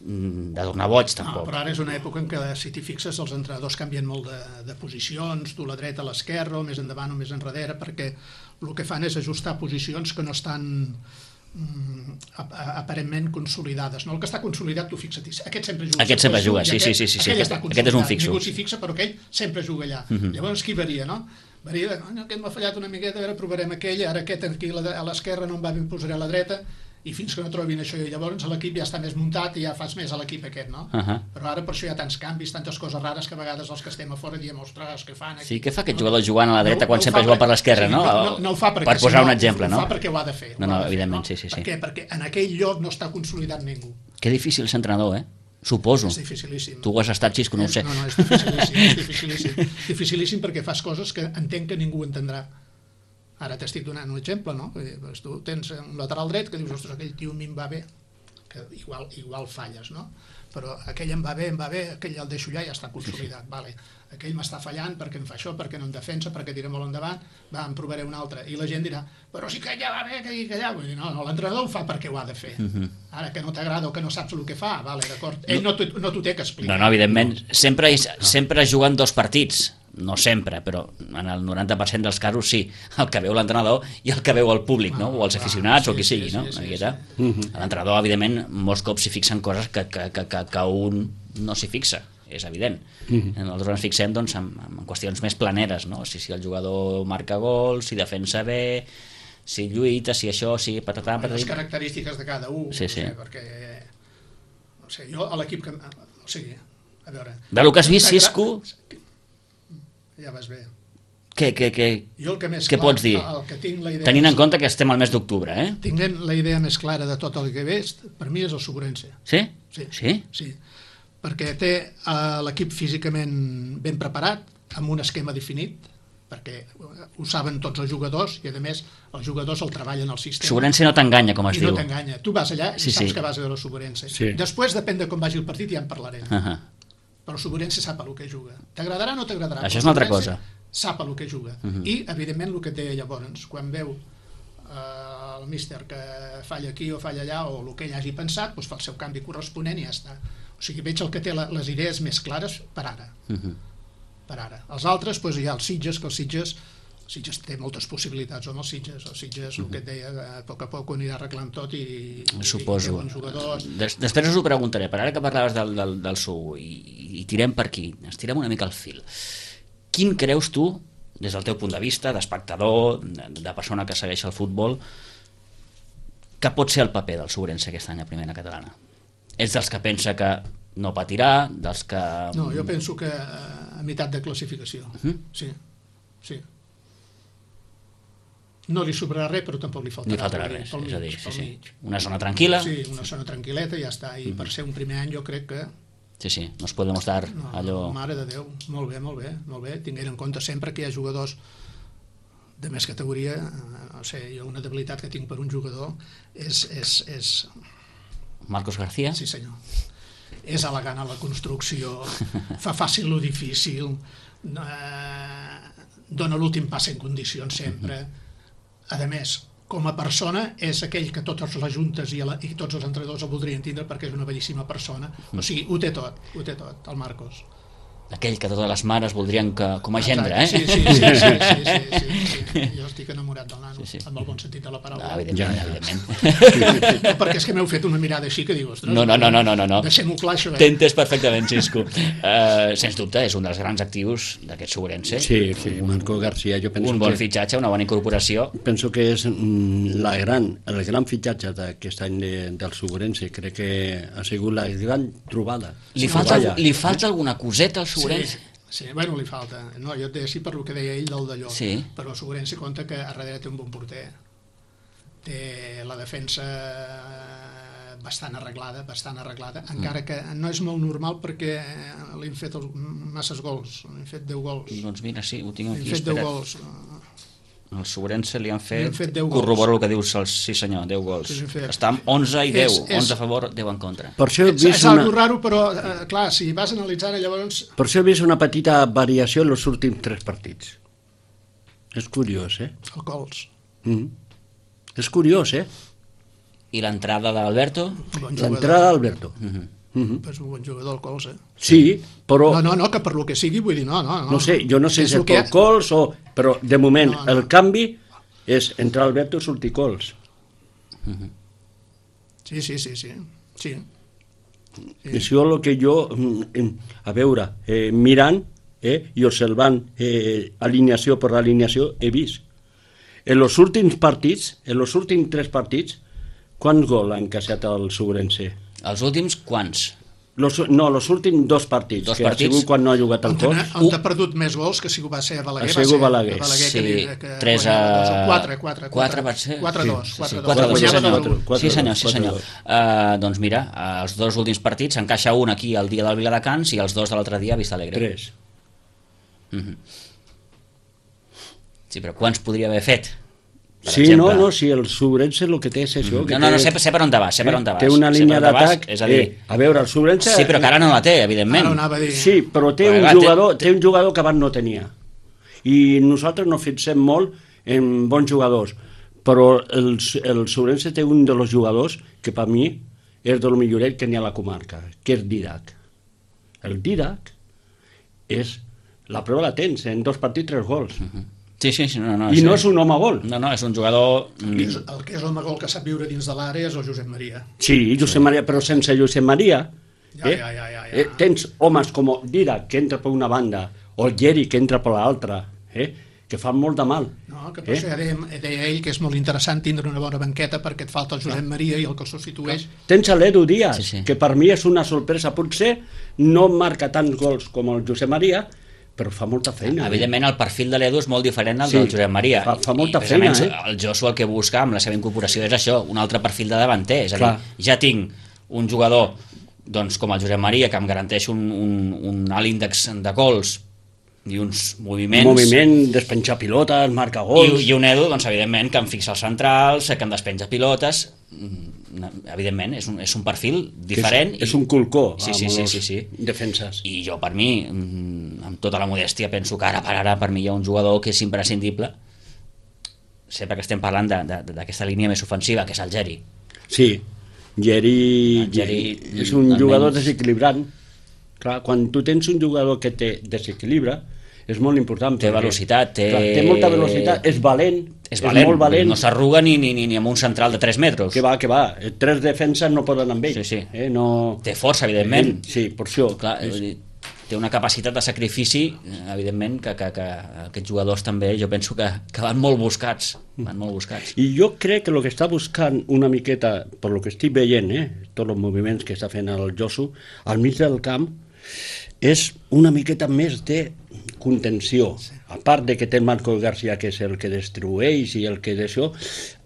mm, de tornar boig, No, tampoc. però ara és una època en què, si t'hi fixes, els entrenadors canvien molt de, de posicions, tu la dreta a l'esquerra, o més endavant o més enrere, perquè el que fan és ajustar posicions que no estan mm, ap aparentment consolidades. No? El que està consolidat, tu fixa't, aquest sempre juga. Aquest sempre juga, sí, i sí, aquest, sí, sí, sí, aquell aquest- està aquest és un consolidat. fixo. Ningú s'hi fixa, però aquell sempre juga allà. Uh -huh. Llavors, qui varia, no? Varia, oh, aquest m'ha fallat una miqueta, a veure, provarem aquell, ara aquest aquí a la- a l'esquerra no em va bé, em posaré a la dreta, i fins que no trobin això, i llavors l'equip ja està més muntat i ja fas més a l'equip aquest, no? Uh -huh. Però ara per això hi ha tants canvis, tantes coses rares, que a vegades els que estem a fora diem, ostres, què fan aquí? Sí, què fa aquest jugador jugant a la dreta No- quan no ho sempre fa juga per perquè- l'esquerra, sí, no? No, no, no ho fa perquè... Per posar si un exemple, no? Ho fa perquè ho ha de fer. No, ho no, ha de fer, evidentment, sí, sí, sí. Per què? Perquè en aquell lloc no està consolidat ningú. Que difícil ser entrenador, eh? Suposo. És dificilíssim. Tu ho has estat, Xisco, no ho sé. No, no, és dificilíssim, és dificilíssim. Dificilíssim perquè fas coses que entenc que ningú entendrà. Ara t'estic donant un exemple, no? Vull dir, doncs tu tens un lateral dret que dius, ostres, aquell tio a mi em va bé, que igual, igual falles, no? Però aquell em va bé, em va bé, aquell el deixo allà i ja està consolidat, vale. Aquell m'està fallant perquè em fa això, perquè no em defensa, perquè tira molt endavant, va, em provaré un altre. I la gent dirà, però si que allà va bé, que, que allà... Vull dir, no, no, l'entrenador ho fa perquè ho ha de fer. Uh -huh. Ara que no t'agrada o que no saps el que fa, vale, d'acord. Ell no t'ho no té que explicar. No, no, evidentment, sempre, sempre juguen dos partits, no sempre, però en el noranta per cent dels casos sí, el que veu l'entrenador i el que veu el públic, no? O els aficionats, o qui sigui, no? L'entrenador, evidentment, molts cops s'hi fixen coses que, que, que, que, que un no s'hi fixa, és evident. Nosaltres ens fixem doncs, en, en qüestions més planeres, no? Si, si el jugador marca gols, si defensa bé, si lluita, si això, si patatà, Les patatí... característiques de cada un, Sí, sí. no sé, perquè... No sé, jo a l'equip que... O sigui, a veure... Del que has vist, Cisco, Ja vas bé. què, què, què, Jo el que més què clar, pots dir? El que tinc la idea Tenint en més- compte que estem al mes d'octubre, eh? Tinguent la idea més clara de tot el que veig, per mi és el Sobrense. Sí? Sí. Sí? Sí. perquè té uh, l'equip físicament ben preparat, amb un esquema definit, perquè ho saben tots els jugadors i, a més, els jugadors el treballen al sistema. Subrense no t'enganya, com es I diu. no t'enganya. Tu vas allà i sí, saps sí. que vas a veure el Subrense. Sí. Després, depèn de com vagi el partit, ja en parlarem. Uh -huh. Però el Subrense sap el que juga. T'agradarà o no t'agradarà? Això és una altra cosa. Sap el que juga. Uh -huh. I, evidentment, el que et deia llavors, quan veu eh, el míster que falla aquí o falla allà, o el que ell hagi pensat, doncs fa el seu canvi corresponent i ja està. O sigui, veig el que té les idees més clares per ara. Uh -huh. Per ara. Els altres, doncs, hi ha els Sitges, que els Sitges Sitges té moltes possibilitats amb els Sitges. Els Sitges, el que et deia, a poc a poc ho anirà arreglant tot i, suposo. i té bons jugadors. Des, després us ho preguntaré, però ara que parlaves del, del, del Sou i, i tirem per aquí, estirem una mica el fil. Quin creus tu, des del teu punt de vista, d'espectador, de, de persona que segueix el futbol, que pot ser el paper del Subrense aquest any a primera catalana? Ets dels que pensa que no patirà, dels que... No, jo penso que a meitat de classificació. Uh-huh. Sí, sí. No li sobrarà res, però tampoc li faltarà, li faltarà res. res, Pel és a dir, mig, sí, sí. mig. Una zona tranquil·la. Sí, una zona tranquil·leta i ja està. I uh-huh. per ser un primer any jo crec que... Sí, sí, nos podemos dar no, allò... Mare de Déu, molt bé, molt bé, molt bé. Tinguent en compte sempre que hi ha jugadors de més categoria. No sé, jo una debilitat que tinc per un jugador és... és, és... Marcos García? Sí, senyor. És elegant a la construcció, fa fàcil lo difícil, eh, dona l'últim pas en condicions sempre. A més, com a persona, és aquell que totes les juntes i, la, i tots els entrenadors el voldrien tindre perquè és una bellíssima persona. O sigui, ho té tot, ho té tot, el Marcos. Aquell que totes les mares voldrien que, com a gendre, eh? Sí, sí, sí, sí, sí, sí, sí, sí, sí. Jo estic enamorat del nano, sí, sí. amb el bon sentit de la paraula. No, evidentment, ja, evidentment. No, perquè és que m'heu fet una mirada així que dius, ostres, no, no, no, no, no, no. deixem-ho clar això. Eh? T'he entès perfectament, Xisco. Uh, sens dubte, és un dels grans actius d'aquest Subrense. Sí, sí, Marco García, jo penso un bon que... fitxatge, una bona incorporació. Penso que és la gran, el gran fitxatge d'aquest any de, del Subrense. Crec que ha sigut la gran trobada. Li falta, li falta alguna coseta al Subrense? Sí. Sí, bueno, li falta. No, jo et deia així per el que deia ell del d'allò. Sí. Però Subrense compta que a darrere té un bon porter. Té la defensa bastant arreglada, bastant arreglada, mm. encara que no és molt normal perquè li han fet els, masses gols, li han fet deu gols. Doncs mira, sí, ho tinc aquí. Li han fet deu gols. Al Subrense li han fet, han fet corroboro el que dius, el, sí senyor, deu gols. Sí, està amb onze i deu, és, és, onze a favor, deu en contra. Per això he vist és, és una... algo raro, però eh, clar, si vas analitzant llavors... Per això he vist una petita variació en els últims tres partits. És curiós, eh? El gols. Mm. És curiós, eh? I l'entrada d'Alberto? Bon l'entrada d'Alberto. Mm -hmm. Mm-hmm. És un bon jugador el Cols, eh? Sí, però... No, no, no, que per lo que sigui, vull dir, no, no. No, no sé, jo no sé si és que... pel Cols o... Però, de moment, no, no. el canvi és entrar Alberto i sortir Cols. Mm-hmm. Sí, sí, sí, sí. Sí. sí. Això és el que jo, a veure, eh, mirant eh, i observant eh, alineació per alineació, he vist. En els últims partits, en els últims tres partits, quants gols ha encaixat el Subrense? Els últims, quants? Los, no, els últims dos partits, dos que partits? ha sigut quan no ha jugat el Cols. On ha perdut més gols que si va ser a Balaguer. Ha sigut Balaguer. Balaguer sí, que, que tres a... quatre, quatre, quatre va ser? quatre a dos. Sí, sí, quatre a dos, sí senyor. Sí senyor, sí senyor. Uh, doncs mira, els dos últims partits s'encaixa un aquí el dia del Viladecans i els dos de l'altre dia a Vista Alegre. Tres. Uh -huh. Sí, però quants podria haver fet? Sí, exemple. no, no, si el Subrense el que té és això. Que no, no, no, sé, sé per on te vas, sé per on te vas. Té una línia d'atac, és a dir... Eh, a veure, el Subrense... Sí, però que ara no la té, evidentment. Ara anava a dir... Sí, però té un, jugador, té un jugador que abans no tenia. I nosaltres no fixem molt en bons jugadors, però el, el Subrense té un dels jugadors que per mi és del milloret que n'hi ha a la comarca, que és Didac. El Didac és... La prova la tens, en dos partits, tres gols. Uh -huh. Sí, sí, sí, no, no. I sí. no és un home gol. No, no, és un jugador... És el que és l'home gol que sap viure dins de l'àrea és el Josep Maria. Sí, Josep sí. Maria, però sense Josep Maria... Ja, eh, ja, ja, ja, ja. Eh, tens homes com Didac, que entra per una banda, o el Geri, que entra per l'altra, eh, que fan molt de mal. No, que per eh? això ja deia, deia ell que és molt interessant tindre una bona banqueta perquè et falta el Josep Maria i el que el substitueix. Tens l'Edu Díaz, sí, sí. que per mi és una sorpresa. Potser no marca tants gols com el Josep Maria, però fa molta feina. Evidentment, eh? el perfil de l'Edu és molt diferent al sí, del Josep Maria. Fa, fa molta I, feina, eh? El Josu el que busca amb la seva incorporació és això, un altre perfil de davanter. És a dir, clar, ja tinc un jugador doncs, com el Josep Maria, que em garanteix un, un, un alt índex de gols i uns moviments... Un moviment, despenjar pilotes, marcar gols... I, i un Edu, doncs, evidentment, que em fixa els centrals, que em despenja pilotes... Evidentment, és un, és un perfil diferent. És, és un colcó, sí, sí, sí, sí, sí. defenses. I jo, per mi, amb tota la modèstia, penso que ara per ara, per mi hi ha un jugador que és imprescindible, sempre que estem parlant d'aquesta línia més ofensiva, que és el Geri. Sí, Geri, Geri és un jugador desequilibrant. Clar, quan tu tens un jugador que té desequilibra, és molt important. Té velocitat, té... Clar, té molta velocitat, és valent, és, valent, és molt valent. No s'arruga ni, ni, ni, ni amb un central de tres metres. Que va, que va, tres defenses no poden amb ell. Sí, sí. Eh, no... Té força, evidentment. Sí, per això. Clar, és... té una capacitat de sacrifici, evidentment, que, que, que aquests jugadors també, jo penso que, que van molt buscats, van molt buscats. I jo crec que el que està buscant una miqueta, per lo que estic veient, eh, tots els moviments que està fent el Josu, al mig del camp, és una miqueta més de contenció. A part de que té el Marco García, que és el que destrueix i el que d'això,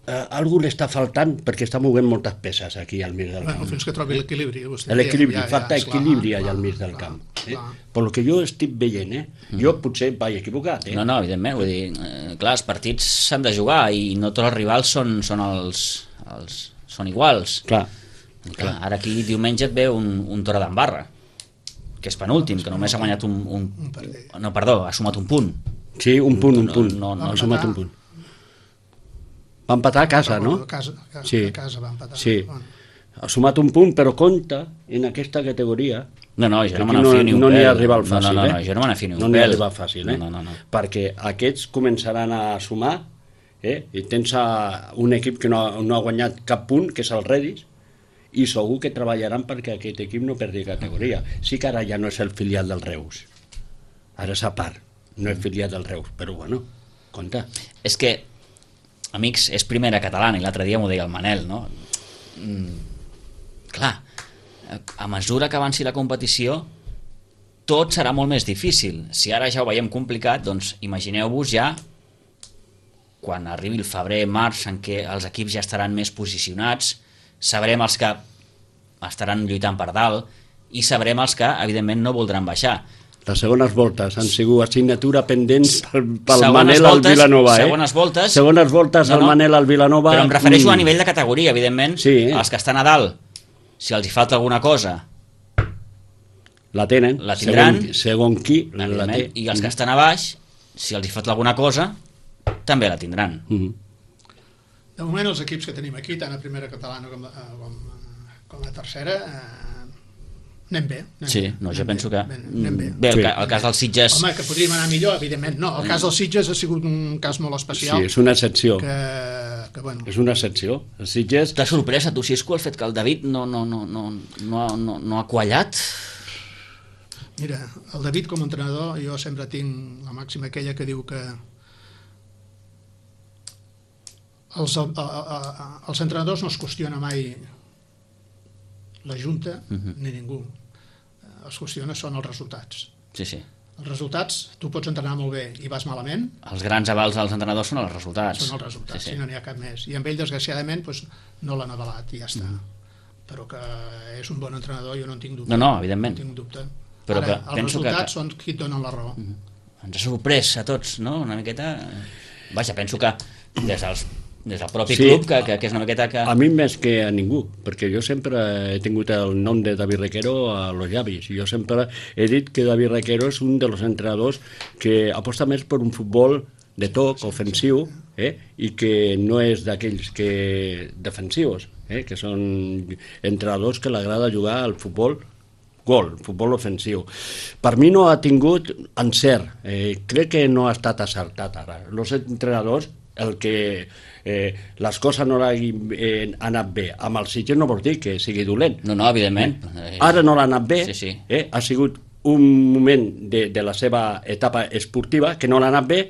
eh, algú li està faltant perquè està movent moltes peces aquí al mig del camp. Bueno, fins que trobi l'equilibri. L'equilibri, ja, falta ja, equilibri allà al mig del camp. Eh? Per lo que jo estic veient, eh? Jo potser vaig equivocat. Eh? No, no, evidentment, vull dir, eh, clar, els partits s'han de jugar i no tots els rivals són, són, els, els, són iguals. Clar. Clar, ara aquí diumenge et ve un, un Torre d'Embarra, que és penúltim, que només ha guanyat un, un... No, perdó, ha sumat un punt. Sí, un punt, un punt. No, no, ha sumat un punt. Va empatar a casa, no? A casa, a casa, sí. a casa va empatar. Sí. Ha sumat un punt, però compta en aquesta categoria. No, no, jo no me n'afio ni un no pèl. No n'hi arriba al fàcil, no, no, no, eh? jo no me n'afio ni un no pèl. No n'hi arriba fàcil, eh? No, no, no, no. Perquè aquests començaran a sumar, eh? I tens un equip que no, no ha guanyat cap punt, que és el Redis, i segur que treballaran perquè aquest equip no perdi categoria. Sí que ara ja no és el filial del Reus. Ara és a part, no és filial del Reus, però bueno, compte. És que, amics, és primera catalana, i l'altre dia m'ho deia el Manel, no? Mm, clar, a mesura que avanci la competició, tot serà molt més difícil. Si ara ja ho veiem complicat, doncs imagineu-vos ja quan arribi el febrer, març, en què els equips ja estaran més posicionats, sabrem els que estaran lluitant per dalt i sabrem els que, evidentment, no voldran baixar. Les segones voltes han sigut assignatura pendents pel, pel segones Manel voltes, al Vilanova. Eh? Segones voltes, segones voltes no, no, al Manel al Vilanova. Però em refereixo mm. a nivell de categoria, evidentment. Sí, eh? Els que estan a dalt, si els hi falta alguna cosa, la tenen, la tindran, segon, segon qui la té. I els que estan a baix, si els hi falta alguna cosa, també la tindran. Mm. De moment els equips que tenim aquí, tant a primera catalana com a, com, com a tercera, eh, anem bé. Anem sí, bé, no, jo anem penso bé, que... Anem bé. Bé, el, sí. el cas dels Sitges... Home, que podríem anar millor, evidentment. No, el cas dels Sitges ha sigut un cas molt especial. Sí, és una excepció. Que, que, bueno... És una excepció. Els Sitges... T'ha sorprès a tu, Xisco, el fet que el David no, no, no, no, no, ha, no, no ha quallat? Mira, el David com a entrenador, jo sempre tinc la màxima aquella que diu que els, a, a, a, els entrenadors no es qüestiona mai la Junta uh-huh. ni ningú. Els qüestiona són els resultats. Sí, sí. Els resultats, tu pots entrenar molt bé i vas malament. Els grans avals dels entrenadors són els resultats. Són els resultats, sí, sí. i no n'hi ha cap més. I amb ell, desgraciadament, doncs, no l'han avalat i ja està. Uh-huh. Però que és un bon entrenador, jo no en tinc dubte. No, no, evidentment. No tinc dubte. Però Ara, que els resultats que... són qui et donen la raó. Uh-huh. Ens ha sorprès a tots, no? Una miqueta... Vaja, penso que des dels des del propi sí, club, que, que, que és una miqueta que... A mi més que a ningú, perquè jo sempre he tingut el nom de David Requero a los llavis, i jo sempre he dit que David Requero és un dels entrenadors que aposta més per un futbol de toc, ofensiu, eh? I que no és d'aquells que defensius, eh? Que són entrenadors que l'agrada jugar al futbol gol, futbol ofensiu. Per mi no ha tingut encert, eh, crec que no ha estat acertat ara. Els entrenadors, el que eh, les coses no hagin eh, anat bé amb el Sitges no vol dir que sigui dolent. No, no, evidentment. Eh, ara no l'ha anat bé, sí, sí. Eh, ha sigut un moment de, de la seva etapa esportiva que no l'ha anat bé.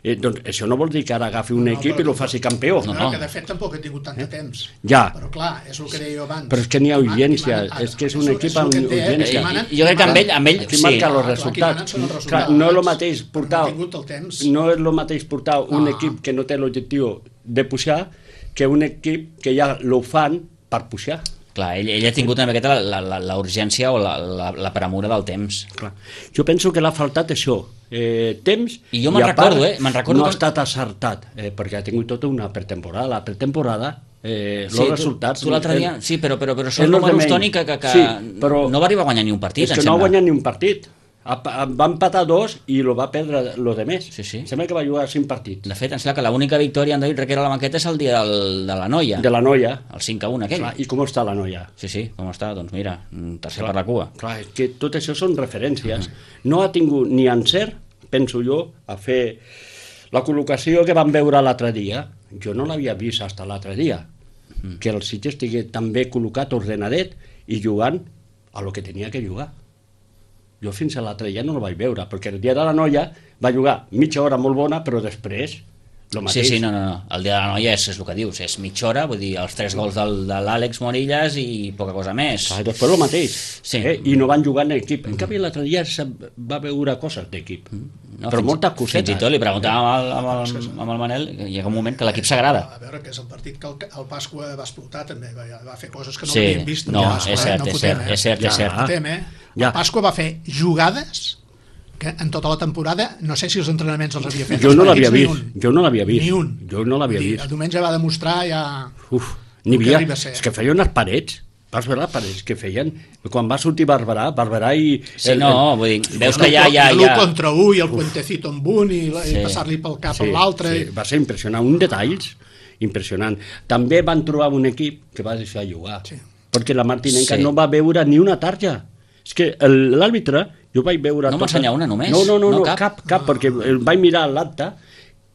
Eh, doncs això no vol dir que ara agafi un no, equip i lo faci campió. No, no. Que de fet tampoc he tingut tant de temps. Ja. Però clar, és el que deia jo abans. Però és que n'hi ha urgència, és que és un equip amb urgència. Jo crec que amb ell, amb ell aquí sí. marca els resultats. Clar, no és el mateix portar, no és el mateix portar un ah. equip que no té l'objectiu de pujar que un equip que ja lo fan per pujar. Clar, ell, ell ha tingut una miqueta la, la, la urgència o la, la, la premura del temps. Clar. Jo penso que l'ha faltat això, eh, temps, I jo me'n a part recordo, eh? Me'n recordo no ha que- estat acertat, eh, perquè ha tingut tota una pretemporada. La pretemporada, eh, els Sí, resultats... Tu, tu l'altre dia, eh, sí, però, però, però és són lo de números, menys. Toni, que, que, que Sí, però no va arribar a guanyar ni un partit, és em que no ha sembla. guanyat ni un partit. Ha- ha- Va empatar dos i lo va perdre lo de més. Sí, sí. Sembla que va jugar cinc partits. De fet, em sembla que l'única victòria en David Requera a la banqueta és el dia del, de la noia, De la noia. el cinc a un aquell. Clar, i com està la noia? Sí, sí, com està? Doncs mira, tercer per la cua. Clar, és que tot això són referències. No ha tingut ni encert, penso jo, a fer la col·locació que vam veure l'altre dia. Jo no l'havia vist fins l'altre dia. Que el Sitges estigui tan bé col·locat, ordenadet i jugant a lo que tenia que jugar. Jo fins a l'altre dia no el vaig veure, perquè el dia de la noia va jugar mitja hora molt bona, però després lo Sí, mateix. sí, no, no, no. El dia de la noia és, és el que dius, és mitja hora, vull dir, els tres gols del, de l'Àlex Morillas i poca cosa més. Clar, després el mateix. Sí. Eh? I no van jugar en equip. En canvi, l'altre dia se va veure coses d'equip. No, però fins, moltes cosetes. Fins i tot li preguntàvem amb el, amb el, amb el Manel, que hi ha un moment que l'equip s'agrada. A veure, que és el partit que el, el Pasqua va explotar també, va, va fer coses que no Sí, havíem vist. no, el Pasqua, és cert, no és fotem, cert, eh? és cert, Ja. és cert. No fotem, eh? Ja. El Pasqua va fer jugades que en tota la temporada, no sé si els entrenaments els havia fet. Jo els no l'havia partits, vist, ni un. jo no l'havia vist. Ni un. Jo no l'havia Vull dir, vist. El diumenge va demostrar ja... Uf, n'hi el que havia... arriba a ser. És que feia unes parets. Vas veure les parets que feien? Quan va sortir Barberà, Barberà i... Sí, no, vull dir, veus que ja... ja, I l'u ja... contra u i el puentecito amb un i, la- i Sí. passar-li pel cap Sí, a l'altre. sí, va ser impressionant. Un detalls impressionant. També van trobar un equip que va deixar jugar. Sí. Perquè la Martinenca Sí. no va veure ni una tarja. És que el- l'àrbitre, jo vaig veure... No tota- m'ensenya una només? No, no, no, No no cap? cap, cap, perquè el vaig mirar l'acte,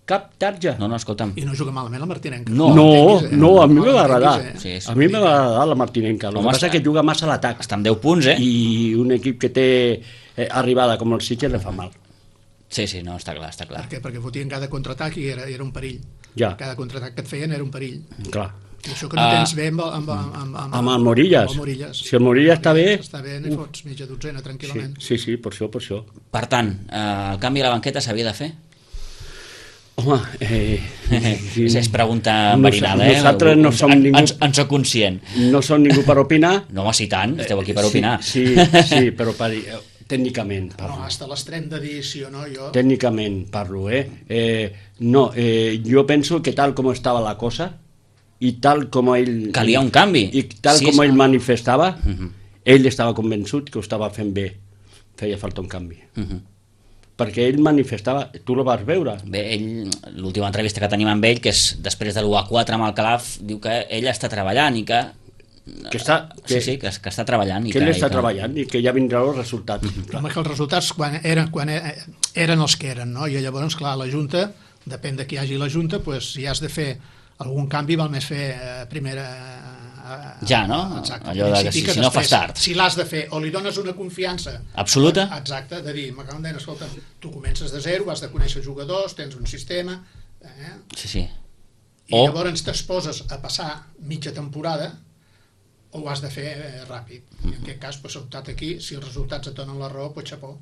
cap tarja. No, no, escolta'm. I no juga malament la Martinenca. No. No, l'entenguis, eh? no, a mi me va l'entenguis, agradar. eh? Sí, és A mi me va agradar la Martinenca. El Home, que passa està- és que juga massa a l'atac. Està amb deu punts, eh? I un equip que té eh, arribada com el Sitges le fa mal. Sí, sí, no, està clar, està clar. Per què? Perquè fotien cada contraatac i era, era un perill. Ja. Cada contraatac que et feien era un perill. Clar. I això que no Ah. tens bé amb, amb, amb, amb, amb, Amb el Morillas. amb el Morillas. Si el Morillas està bé... Està bé, n'hi fots mitja dotzena, Sí, tranquil·lament. sí, sí, per això, per això. Per tant, eh, el canvi a la banqueta s'havia de fer? Home, eh, Sí, és pregunta Nos- enverinada, eh? nosaltres no som en, ningú- En, en soc conscient. no som ningú per opinar. No, home, si tant, esteu aquí per Sí, opinar. Sí, sí, però per, eh, tècnicament No, parlo. hasta l'extrem de dir sí o no, jo... Tècnicament parlo, eh? eh no, eh, jo penso que tal com estava la cosa i tal com ell... Calia un canvi. I tal Sí, com sí. ell manifestava, Uh -huh. ell estava convençut que ho estava fent bé. Feia falta un canvi. Uh -huh. Perquè ell manifestava... Tu lo vas veure? Bé, ell, l'última entrevista que tenim amb ell, que és després de l'u a quatre amb el Calaf, diu que ell està treballant i que... Que està... Sí, Que, sí, que, que està treballant. I que ell que, està i que... treballant i que ja vindran els resultats. Però home, que els resultats quan eren, quan e- eren els que eren, no? I llavors, clar, la Junta, depèn de qui hi hagi la Junta, pues, si has de fer algun canvi, val més fer eh, primera... Eh, Ja, no? Exacte. Allò de que principi, si- si no fas tard. Si l'has de fer, o li dones una confiança... Absoluta? Exacte, de dir, m'acaben de dir, escolta, tu comences de zero, has de conèixer jugadors, tens un sistema... Eh? Sí, sí. I O- llavors t'exposes a passar mitja temporada o ho has de fer eh, ràpid. I en aquest cas, pues, optat aquí, si els resultats et donen la raó, pues xapó.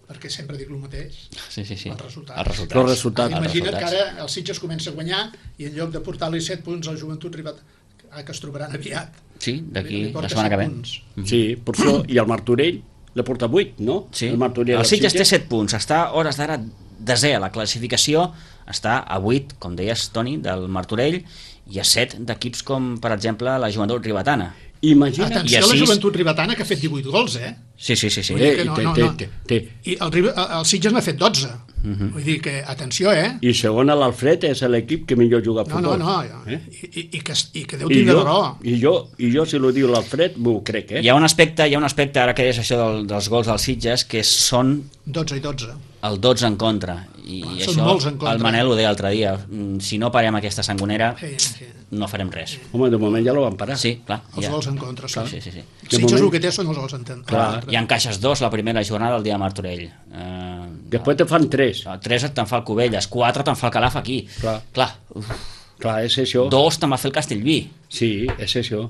Perquè sempre dic el mateix. Sí, sí, sí. Els resultats. Els resultats. Els resultats. Els Imagina't resultats. que ara el Sitges comença a guanyar i en lloc de portar-li set punts al Joventut Ribat, que es trobaran aviat. Sí, d'aquí li la porta setmana que set ve. punts. Sí, per això. I el Martorell le porta vuit, no? Sí. El Martorell El del Sitges té set punts, està a hores d'ara desè a la classificació, està a vuit, com deies, Toni, del Martorell, i a set d'equips com, per exemple, la Joventut Ribetana. Imagina't. Atenció I a la així- Joventut Ribetana, que ha fet divuit gols, eh? Sí, sí, sí. sí. Vull dir Eh, que i no, té, no, té, no. té, té. I el, Ribe- el Sitges n'ha fet dotze. Vull dir que, atenció, eh? I segon a l'Alfred és l'equip que millor juga a No, no, futbol. no. Eh? I, i, i, que, i que Déu I tindrà jo, raó. i, jo, I jo, si ho diu l'Alfred, m'ho crec, eh? Hi ha un aspecte, hi ha un aspecte ara que deies això del, dels gols dels Sitges, que són dotze i dotze. el dotze en contra. I Ah, això són molts en contra. el Manel ho deia l'altre dia. Mm, Si no parem aquesta sangonera, Sí, sí. no farem res. Home, de moment ja lo van parar. Sí, clar. Els Ja. gols en contra són. Sí, sí, sí. El Sitges moment- el que té són els gols en contra. Clar. Hi ha encaixes dos la primera jornada del dia de Martorell. Eh, Després te fan tres. tres te'n fa el Cubelles, quatre te'n fa el Calaf aquí. Clar. Clar. Uf. Clar, és això. Dos te'n va fer el Castellví. Sí, és això.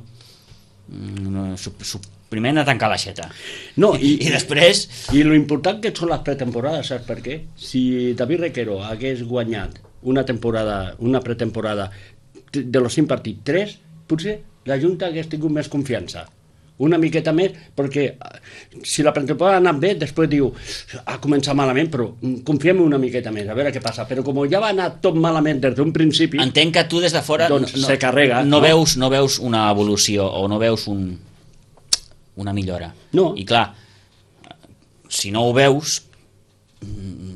Mm, su, su, primer anar a tancar l'aixeta. No, I, i, I després... I lo important que són les pretemporades, saps per què? Si David Requero hagués guanyat una temporada, una pretemporada de los cinc partits, tres, potser la Junta hagués tingut més confiança. Una miqueta més, perquè si la pretemporada ha anat bé, després diu ha començat malament, però confiem una miqueta més, a veure què passa. Però com ja va anar tot malament des d'un principi... Entenc que tu des de fora doncs no, se carrega. No, no, veus, no veus una evolució o no veus un, una millora. No. I clar, si no ho veus,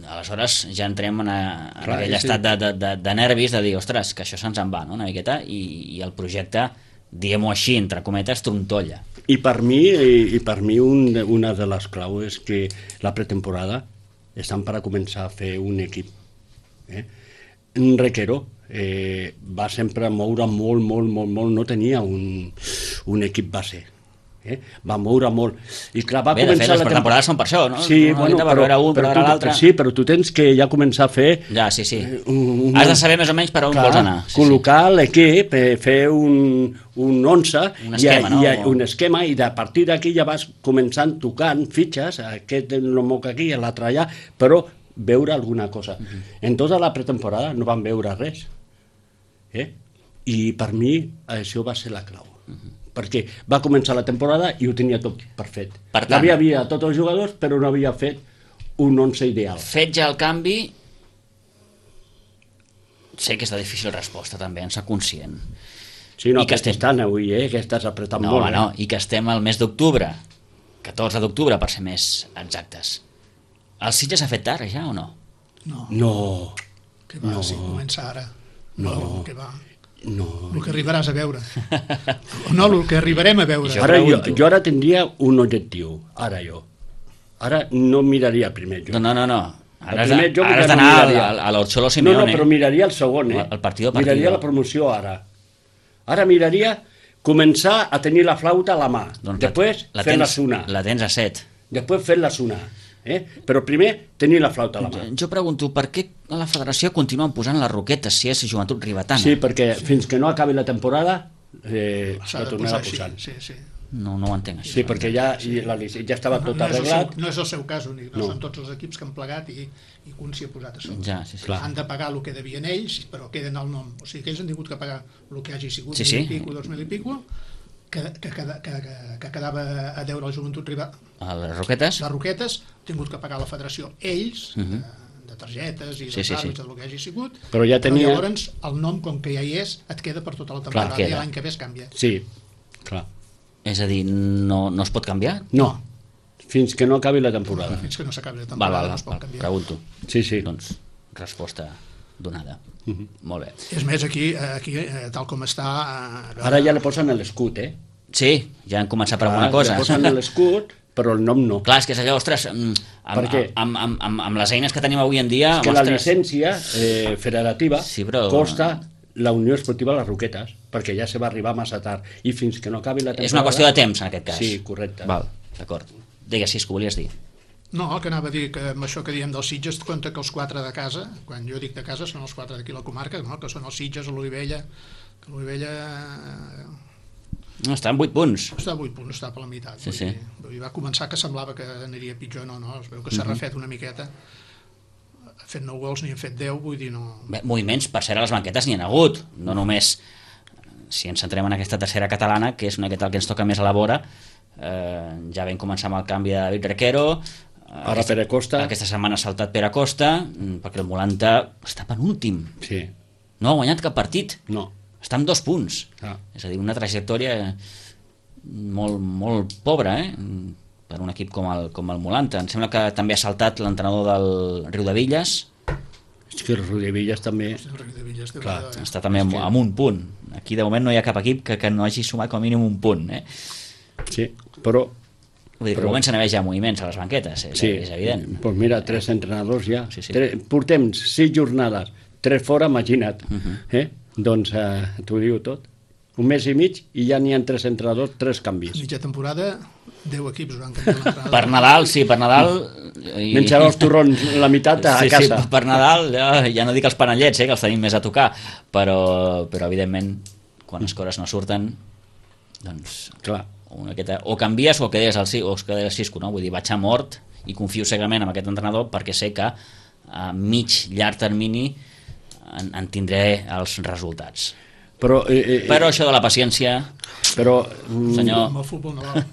aleshores ja entrem en, a, en clar, aquell sí. estat de, de, de, de nervis de dir, ostres, que això se'ns en va, no? Una miqueta, i, i el projecte, diguem-ho així, entre cometes, trontolla. I per mi, i, i per mi un, una de les claus és que la pretemporada estan per a començar a fer un equip. Eh? En Requero eh, va sempre moure molt, molt, molt, molt, no tenia un, un equip base. Eh? Va moure molt. I clar, va Bé, de fet, les pretemporades són per això, no? Sí, no, bueno, per veure un, per veure l'altre. Sí, però tu tens que ja començar a fer... Ja, sí, sí. Un, un, Has de saber més o menys per on clar, vols anar. Sí, col·locar sí. l'equip, fer un, un once, un esquema, i, no? I, un esquema, i a partir d'aquí ja vas començant tocant fitxes, aquest no moc aquí, l'altre allà, però veure alguna cosa. Uh -huh. En tota la pretemporada no van veure res. Eh? I per mi això va ser la clau. Uh -huh. Perquè va començar la temporada i ho tenia tot perfet. Per tant, l'havia havia tots els jugadors, però no havia fet un once ideal. Fet ja el canvi, sé que és de difícil resposta també, en soc conscient. Sí, no, I que estem... estan avui, eh, que estàs apretant no, molt. Home, no, i que estem al mes d'octubre, catorze d'octubre per ser més exactes. El Sitges s'ha fet tard ja o no? No. No. Que va, no. si comença ara. No. no que va. No. El que arribaràs a veure. No, el que arribarem a veure. Ara jo, jo ara tindria un objectiu, ara jo. Ara no miraria primer jo. No, no, no. no. Ara has d'anar no a, a l'Orxolo Simeone. No, no, però miraria el segon, eh? El partido miraria la promoció ara. Ara miraria començar a tenir la flauta a la mà. Doncs després la fer la tens, sonar. La tens a set. Després fer la sonar. Eh? Però primer tenir la flauta a la mà. Jo pregunto, per què a la federació continuen posant les roquetes si és joventut ribetana? Sí, perquè fins que no acabi la temporada eh, la tornarà posant. Sí, sí. No, no ho entenc així. Sí, perquè ja, la, ja estava no, tot no arreglat. Seu, no és el seu cas únic, no, no. Són tots els equips que han plegat i, i un s'hi ha posat a sobre. Ja, sí, sí. Han de pagar el que devien ells, però queden el nom. O sigui que ells han tingut que pagar el que hagi sigut, sí, mil sí. i pico, dos mil i pico, que, que, que, que, que quedava a deure la joventut rival. A les roquetes? Les roquetes, han tingut que pagar la federació ells, uh -huh. de, de targetes i de sí, sí, sí. del que hagi sigut, però, ja tenia... però llavors el nom, com que ja hi és, et queda per tota la temporada. Clar, i l'any que ve es canvia. Sí, clar. És a dir, no, no es pot canviar? No, fins que no acabi la temporada. Fins que no s'acabi la temporada val, val, no es pot val, canviar. Pregunto. Sí, sí. Doncs resposta donada. Uh -huh. Molt bé. És més, aquí, aquí tal com està... Eh, Ara ja li posen l'escut, eh? Sí, ja han començat per alguna cosa. Ja posen l'escut, però el nom no. Clar, és que és allò, ostres, amb, amb, amb, amb, amb, amb les eines que tenim avui en dia... És que ostres... la llicència eh, federativa sí, però... costa la Unió Esportiva Les Roquetes, perquè ja se va arribar massa tard, i fins que no acabi la temporada... És una qüestió de temps, en aquest cas. Sí, correcte. Val, d'acord. Digues, si és que volies dir. No, que anava a dir que amb això que diem dels Sitges, compte que els quatre de casa, quan jo dic de casa són els quatre d'aquí la comarca, no? Que són els Sitges, l'Olivella, que l'Olivella... No, està en vuit punts. Està a vuit punts, està per la meitat. Sí, sí. Vull dir, va començar que semblava que aniria pitjor, no, no, es veu que s'ha refet una miqueta. Ha fet nou gols, n'hi han fet deu, vull dir, no... Bé, moviments, per ser a les banquetes n'hi ha hagut, no només si ens centrem en aquesta tercera catalana, que és una miqueta el que ens toca més a la vora, eh, ja vam començar amb el canvi de David Requero, ara aquesta, Pere Costa. Aquesta setmana ha saltat Pere Costa, perquè el Molanta està penúltim. Sí. No ha guanyat cap partit. No. Està amb dos punts. Ah. És a dir, una trajectòria molt, molt pobra, eh? Per un equip com el, com el Molanta. Em sembla que també ha saltat l'entrenador del Riudevilles. És que el Riudevilles també... El Riudevilles, clar, eh? Està també amb, amb un punt. Aquí de moment no hi ha cap equip que, que no hagi sumat com a mínim un punt, eh? Sí, però... Vull dir que però... comencen a haver ja moviments a les banquetes, és, sí, és evident. Doncs mira, tres entrenadors ja. Sí, sí. Tres, portem sis jornades, tres fora, imagina't. Uh -huh. eh? Doncs eh, t'ho diu tot. Un mes i mig i ja n'hi ha tres entrenadors, tres canvis. Mitja temporada, deu equips van canviar l'entrenador. Per Nadal, sí, per Nadal... I... Menjarà els torrons la meitat a sí, casa. Sí, per Nadal, ja, ja no dic els panellets, eh, que els tenim més a tocar, però, però evidentment, quan les coses no surten, doncs... Clar. Una aquesta, o canvies o quedes al o es quedes al Cisco, no? Vull dir, vaig a mort i confio cegament en aquest entrenador perquè sé que a mig, llarg termini en, en tindré els resultats. Però, eh, eh, Però això de la paciència, però mm, senyor, Amb el futbol no val.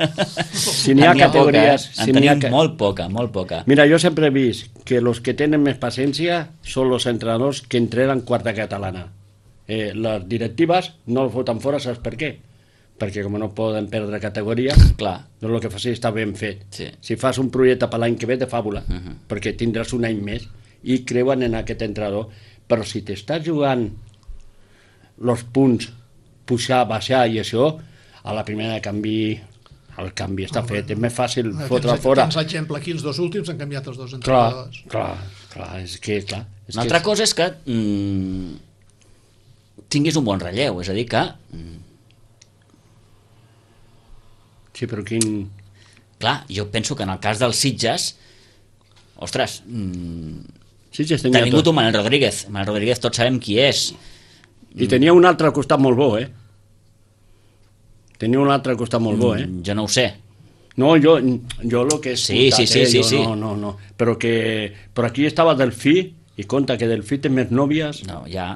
si n'hi ha en n'hi ha poca, categories... eh? si En n'hi ha tenim ca- molt poca, molt poca. Mira, yo siempre he visto que los que tienen más paciencia son los entrenadors que entrenan quarta catalana. Eh, les directives no els voten fora, saps per què? Perquè com no poden perdre categoria, Clar, doncs el que fas està ben fet. Sí. Si fas un projecte per l'any que ve, de fàbula, Uh -huh. perquè tindràs un any més i creuen en aquest entrenador. Però si t'estàs jugant els punts, pujar, baixar i això, a la primera de canvi, el canvi està fet. És més fàcil fotre tens, fora. Tens l'exemple aquí, els dos últims han canviat els dos Clar, entrenadors. clar, clar, és que, clar... És una que altra cosa és que mm, tinguis un bon relleu, és a dir que mm, Sí, però quin... clar, jo penso que en el cas dels Sitges, ostres, mm, Sí, sí, t'ha tenia vingut tot. un Manel Rodríguez. Manel Rodríguez tots sabem qui és. I tenia un altre al costat molt bo, eh? Tenia un altre al costat molt bo, eh? Mm, jo no ho sé. No, jo, jo lo que he Sí, escoltat, sí, sí, eh? sí, Jo sí. No, no, no. Però que... Però aquí estava Delfí, i compta que Delfí té més nòvies. No, ja...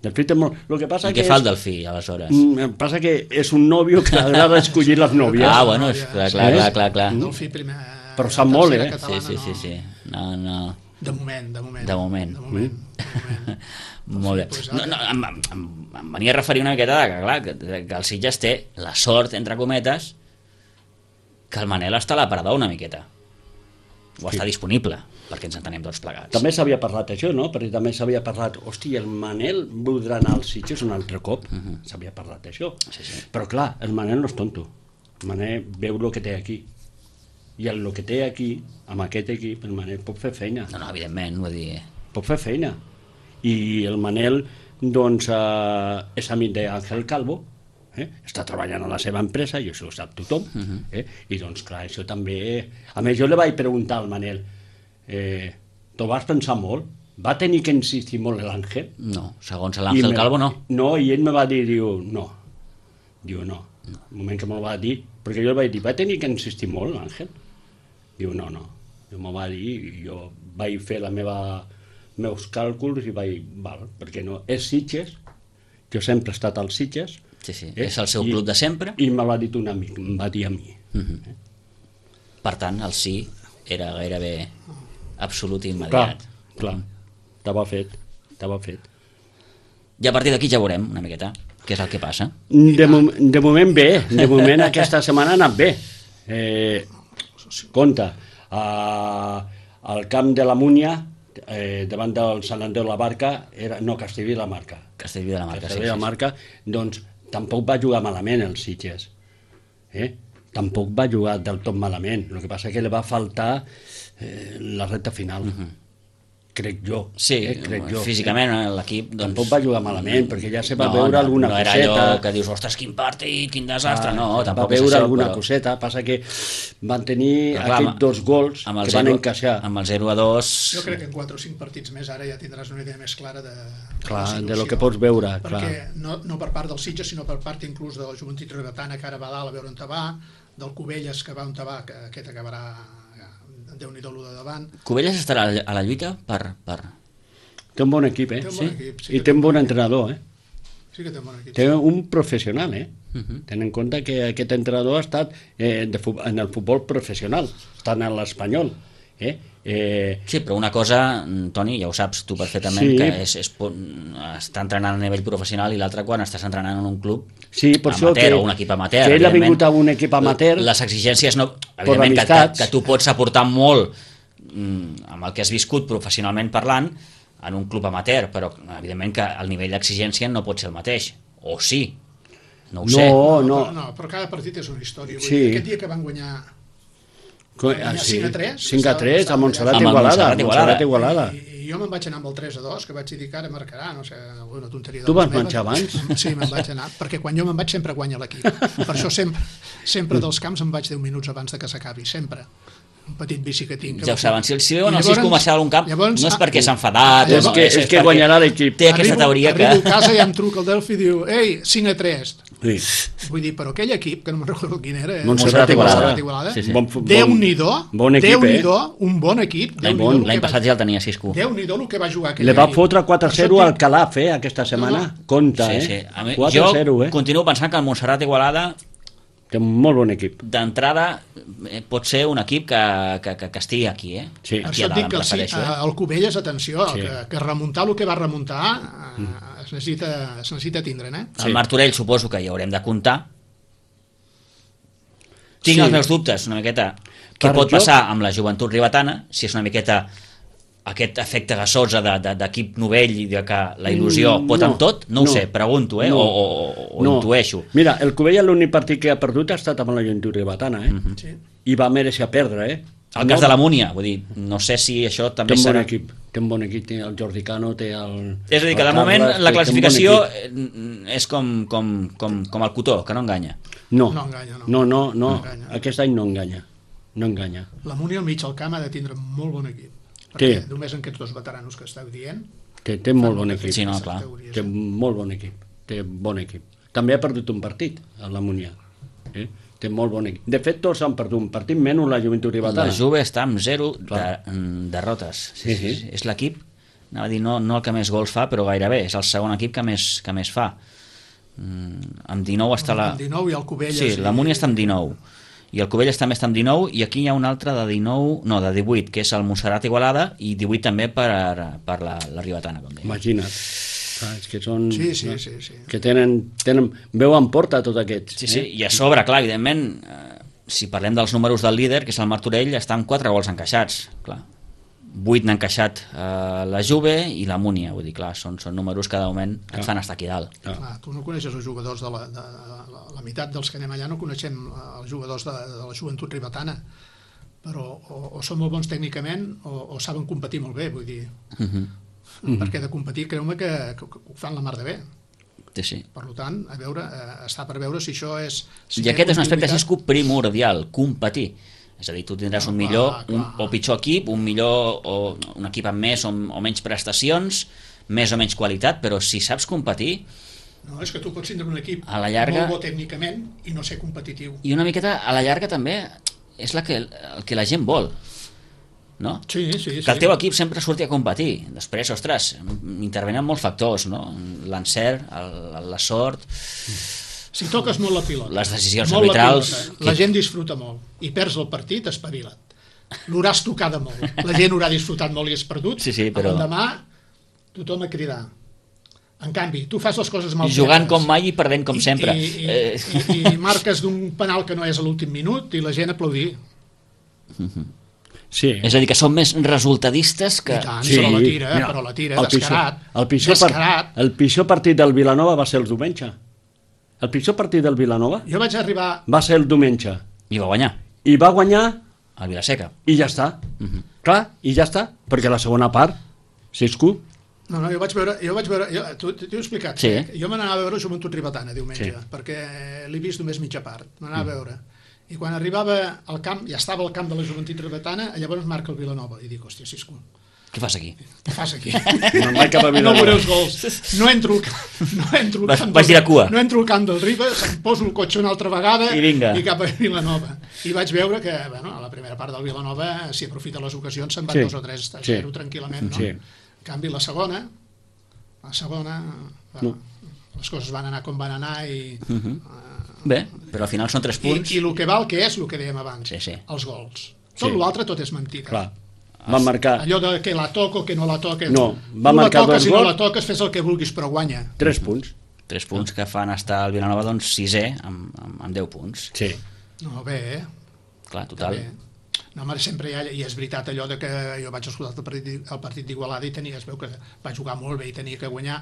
Delfí té molt... Lo que passa I que què fa el és... Delfí, aleshores? Mm, passa que és un nòvio que agrada escollir les nòvies. Ah, bueno, és, clar, clar, clar, clar, clar. El fi primer... Però sap molt, eh? Sí, sí, sí, sí. No, no... De moment, de moment. De moment. De moment, de moment. Molt bé. Pues No, ara- no, em, em, em venia a referir una miqueta de que, clar, que, que el Sitges té la sort, entre cometes, que el Manel està a l'aparador una miqueta. O està disponible, perquè ens entenem tots plegats. També s'havia parlat això, no? Perquè també s'havia parlat, hosti, el Manel voldrà anar als Sitges un altre cop. S'havia parlat d'això. Sí, sí. Però clar, el Manel no és tonto. El Manel veu el que té aquí. I el que té aquí, amb aquest equip, el Manel pot fer feina. No, no, evidentment, vull dir... Pot fer feina. I el Manel, doncs, eh, és amic d'Àngel Calvo, eh? Està treballant a la seva empresa, i això ho sap tothom. eh? I doncs, clar, això també... A més, jo li vaig preguntar al Manel, eh, t'ho vas pensar molt? Va tenir que insistir molt l'Àngel? No, segons I l'Àngel me- Calvo, no. No, i ell me va dir, diu, no. Diu, no. no. El moment que me'l va dir, perquè jo li vaig dir, va tenir que insistir molt l'Àngel? Diu, no, no. Jo me'l va dir i jo vaig fer la meva meus càlculs i vaig, val, perquè no, és Sitges, jo sempre he estat als Sitges. Sí, sí, eh? és el seu I- club de sempre. I me l'ha dit un amic, em va dir a mi. Per tant, el sí era gairebé absolut i Clar, immediat. clar, estava fet, estava fet. I a partir d'aquí ja veurem una miqueta què és el que passa. De, mom de moment bé, de moment aquesta setmana ha anat bé. Eh, compte, a, al camp de la Múnia, eh, davant del Sant Andreu de la Barca, era, no, Castellví de la Marca. Castellví de la Marca, sí, Castellví de la sí, sí. Marca, doncs tampoc va jugar malament el Sitges. Eh? Tampoc va jugar del tot malament. El que passa que li va faltar eh, la recta final. Uh -huh. Crec jo. Sí, eh? Crec jo. físicament l'equip doncs, Tampoc va jugar malament, perquè ja se va no, veure no, alguna no era coseta. allò que dius, ostres, quin partit, quin desastre, Ah, no, va tampoc és veure això, alguna però... coseta, passa que van tenir Però clar, aquests amb- dos gols amb el que zero, van encaixar. amb el zero a dos... Jo crec que en quatre o cinc partits més ara ja tindràs una idea més clara de, de Clar, la de situació. lo que pots veure, Perquè clar. no, no per part del Sitges, sinó per part inclús de la Joventut Rebetana, que ara va a dalt a veure on te va, del Cubelles, que va on te va, que aquest acabarà Déu-n'hi-do lo de davant. Cubelles estarà a la- a la lluita per... per... Té un bon equip, eh? Té un Sí? bon equip, sí I que té un té bon entrenador, eh? Sí que té un bon equip. Té un professional, eh? Uh -huh. Ten en compte que aquest entrenador ha estat eh, de fu- en el futbol professional, està en l'Espanyol. Eh? Eh, Sí, però una cosa, Toni, ja ho saps tu perfectament, Sí. que és, és po- estar entrenant a nivell professional i l'altra quan estàs entrenant en un club sí, per això amateur que, o un equip amateur. que ell ha evidentment. vingut a un equip amateur. Les exigències, no, evidentment, que, que, amistats. que tu pots aportar molt mm, amb el que has viscut professionalment parlant en un club amateur, però evidentment que el nivell d'exigència no pot ser el mateix. O sí, no ho No, sé. no. Però, no, però cada partit és una història. Vull Sí. dir, aquest dia que van guanyar Co- guanyar ah, sí. cinc a tres, cinc a tres, estava- a Montserrat Amb el Igualada. Montserrat Montserrat Igualada. Igualada. I, i jo me'n vaig anar amb el tres a dos, que vaig dir que ara marcarà, no sé, alguna tonteria de Tu les vas meves. marxar abans? Sí, me'n vaig anar, perquè quan jo me'n vaig sempre guanya l'equip. Per això sempre, sempre dels camps em vaig deu minuts abans de que s'acabi, sempre. Un petit bici que tinc. Ja ho saben, si, si veuen I el sis llavors- comercial d'un camp, llavors- no és perquè ah, s'ha enfadat, És no, que- és que perquè guanyarà l'equip. Té aquesta arribo, teoria que... Arribo a casa i em truca el Delphi i diu, ei, cinc a tres. Sí. Vull dir, però aquell equip, que no me'n recordo quin era, eh? Montserrat Igualada. Igualada, Sí, sí. Bon, bon, Déu-n'hi-do, bon equip, Déu-n'hi-do, eh? un bon equip. L'any Déu-n'hi-do el l'any que passat va- ja el tenia sis cu. Déu-n'hi-do el que va jugar aquell Le va equip. fotre quatre a zero Per al això et dic- Calaf, eh, aquesta setmana. No, no. Compte, Sí, sí. eh? A mi, quatre jo a zero, eh? continuo pensant que el Montserrat Igualada Té un molt bon equip. d'entrada eh, pot ser un equip que, que, que, que estigui aquí, eh? Sí. Per Aquí això a et dalt, dic em que sí, prefereixo, eh? el Cubelles, atenció, Sí. que, que remuntar el que va remuntar eh, es, necessita, es necessita tindre, eh? El Sí. Martorell suposo que hi haurem de comptar. Tinc Sí. els meus dubtes una miqueta què Per pot jo- passar amb la joventut ribetana, si és una miqueta aquest efecte gasosa de- de- d'equip novell i de que la il·lusió Mm, pot no, amb tot, no, ho no, sé, pregunto, eh? no, o, o, o no. intueixo. Mira, el Cubella l'únic partit que ha perdut ha estat amb la joventut ribetana, eh? Mhm. Sí. I va mereixer perdre, eh? El cas de la Múnia, vull dir, no sé si això Té també un bon serà... equip, té un bon equip, té el Jordi Cano, té el... És a dir, que de el moment Carles, la té- té un bon classificació equip. eh, és com, com, com, com el cotó, que no enganya. No, No enganya, no. no, no, no, No enganya. aquest any no enganya, no enganya. La Múnia al mig al camp ha de tindre molt bon equip. Perquè Sí. només en aquests dos veteranos que esteu dient... Té, té molt bon molta equip, Sí, no, aquestes clar. teories, té eh? molt bon equip, té bon equip. També ha perdut un partit, a la Munià. Eh? Té molt bon equip. De fet, tots han perdut un partit, menys la joventut ribetana. La Juve està amb zero de, Clar. mm, derrotes. Sí, sí. És l'equip, anava a dir, no, no el que més gols fa, però gairebé, és el segon equip que més, que més fa. Mm, amb dinou està la... Amb dinou i el Cubelles... Sí, la i- Múnia està amb dinou. I el Cubelles també està amb dinou, i aquí hi ha un altre de dinou, no, de divuit, que és el Montserrat Igualada, i divuit també per, per la, la Ribetana, com deia. Imagina't. Ah, és que són... Sí, sí, sí, sí. Que tenen, tenen... Veu en porta tots aquests. Sí, sí, eh? i a sobre, clar, evidentment, eh, si parlem dels números del líder, que és el Martorell, està amb quatre gols encaixats, clar. vuit n'ha encaixat eh, la Juve i la Múnia, vull dir, clar, són, són números que de moment et fan estar aquí dalt. Ah. Clar, tu no coneixes els jugadors de la, de, de la, la meitat dels que anem allà no coneixem eh, els jugadors de, de la joventut ribetana, però o, o són molt bons tècnicament o, o saben competir molt bé, vull dir, Uh -huh. perquè de competir creu-me que, que, que ho fan la mar de bé. Sí, sí. Per tant, a veure, eh, està per veure si això és... Si I aquest és un aspecte, si és continuïtat. primordial, competir. És a dir, tu tindràs un Clar, millor un, clar. o pitjor equip, un millor o un equip amb més o, o menys prestacions, més o menys qualitat, però si saps competir, No, és que tu pots tindre un equip A la llarga- molt bo tècnicament i no ser competitiu. i una miqueta a la llarga també és la que, el que la gent vol, no? Sí, sí, sí. Que el teu equip sempre surti a competir. Després, ostres, intervenen molts factors, no? L'encert, el- la sort... Si toques molt la pilota, Les decisions molt la arbitrals, pilota, la que- gent disfruta molt i perds el partit espavila't. L'hauràs tocada molt, la gent haurà disfrutat molt i has perdut, Sí, sí, però- l'endemà tothom a cridar. En canvi, tu fas les coses mal Jugant fetes com mai i perdent com i, sempre. i, i, Eh, i, i marques d'un penal que no és a l'últim minut i la gent aplaudir. Sí. És a dir, que són més resultadistes que... I tant, Sí, però la tira, mira, però la tira, el pitjor- descarat. el pitjor, descarat. part, el pitjor partit del Vilanova va ser el diumenge. El pitjor partit del Vilanova Jo vaig arribar... va ser el diumenge. I va guanyar, I va guanyar el Vilaseca. i ja està. Clar, i ja està. Perquè la segona part, Cisco, No, no, jo vaig veure... Jo vaig veure jo, tu t'ho he explicat. Sí. Eh? Jo me n'anava a veure Joventut Ribetana diumenge, Sí. perquè l'he vist només mitja part. Me n'anava a veure. I quan arribava al camp, ja estava al camp de la Joventut Ribetana, llavors marca el Vilanova. I dic, hòstia, Cisco, Què fas aquí? què fas aquí? no vaig cap a No Vilanova. veuré els gols. No entro, al camp- no entro al Vas- camp vas del- dir a cua. No entro al camp del Ribes, em poso el cotxe una altra vegada I vinga. i cap a Vilanova. I vaig veure que, bueno, a la primera part del Vilanova, si aprofita les ocasions, se'n van Sí. dos o tres a Sí. zero tranquil·lament, no? Sí. En canvi, la segona, la segona, bueno, les coses van anar com van anar i, Bé, però al final són tres i, punts. i el que val que és el que dèiem abans, Sí, sí. els gols. Tot Sí. l'altre tot és mentida. Clar, van marcar Allò de que la toco, que no la toques. No, va tu la marcar toques dos i no gols. la toques, fes el que vulguis, però guanya. tres punts. Tres punts que fan estar el Vilanova doncs sisè amb, amb, amb deu punts. Sí. No, bé, eh? Clar, total. Bé. No, home, sempre hi ha, i és veritat allò de que jo vaig escoltar el partit, el partit d'Igualada i tenia, es veu que va jugar molt bé i tenia que guanyar,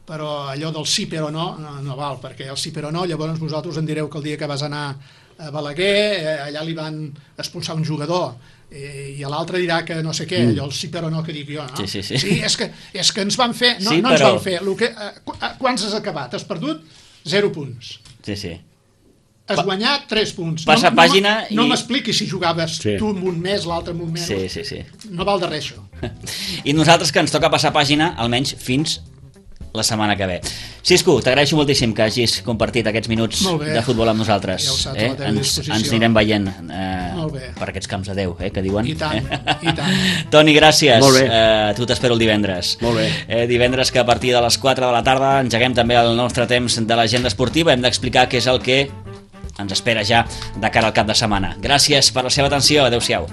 però allò del sí però no, no, no val, perquè el sí però no, llavors vosaltres em direu que el dia que vas anar a Balaguer, eh, allà li van expulsar un jugador, eh, i l'altre dirà que no sé què, allò el sí però no que dic jo, no? Sí, sí, sí. sí és, que, és que ens van fer, no, Sí, no ens però- van fer, lo que, eh, qu- eh, quants has acabat? Has perdut? Zero punts. Sí, sí. Has guanyat tres punts. Passa no, pàgina no, no i- m'expliquis si jugaves Sí. tu amb un mes, l'altre amb un menys. Sí, sí, sí. No val de res, això. I nosaltres que ens toca passar pàgina, almenys fins la setmana que ve. Cisco, t'agraeixo moltíssim que hagis compartit aquests minuts de futbol amb nosaltres. Ja ho saps, eh? a la teva ens, disposició. ens anirem veient eh, per aquests camps de Déu, eh, que diuen. I tant, i tant. Toni, gràcies. Molt bé. Eh, tu t'espero el divendres. Molt bé. Eh, divendres que a partir de les quatre de la tarda engeguem també el nostre temps de l'agenda esportiva. Hem d'explicar què és el que ens espera ja de cara al cap de setmana. Gràcies per la seva atenció. Adéu-siau.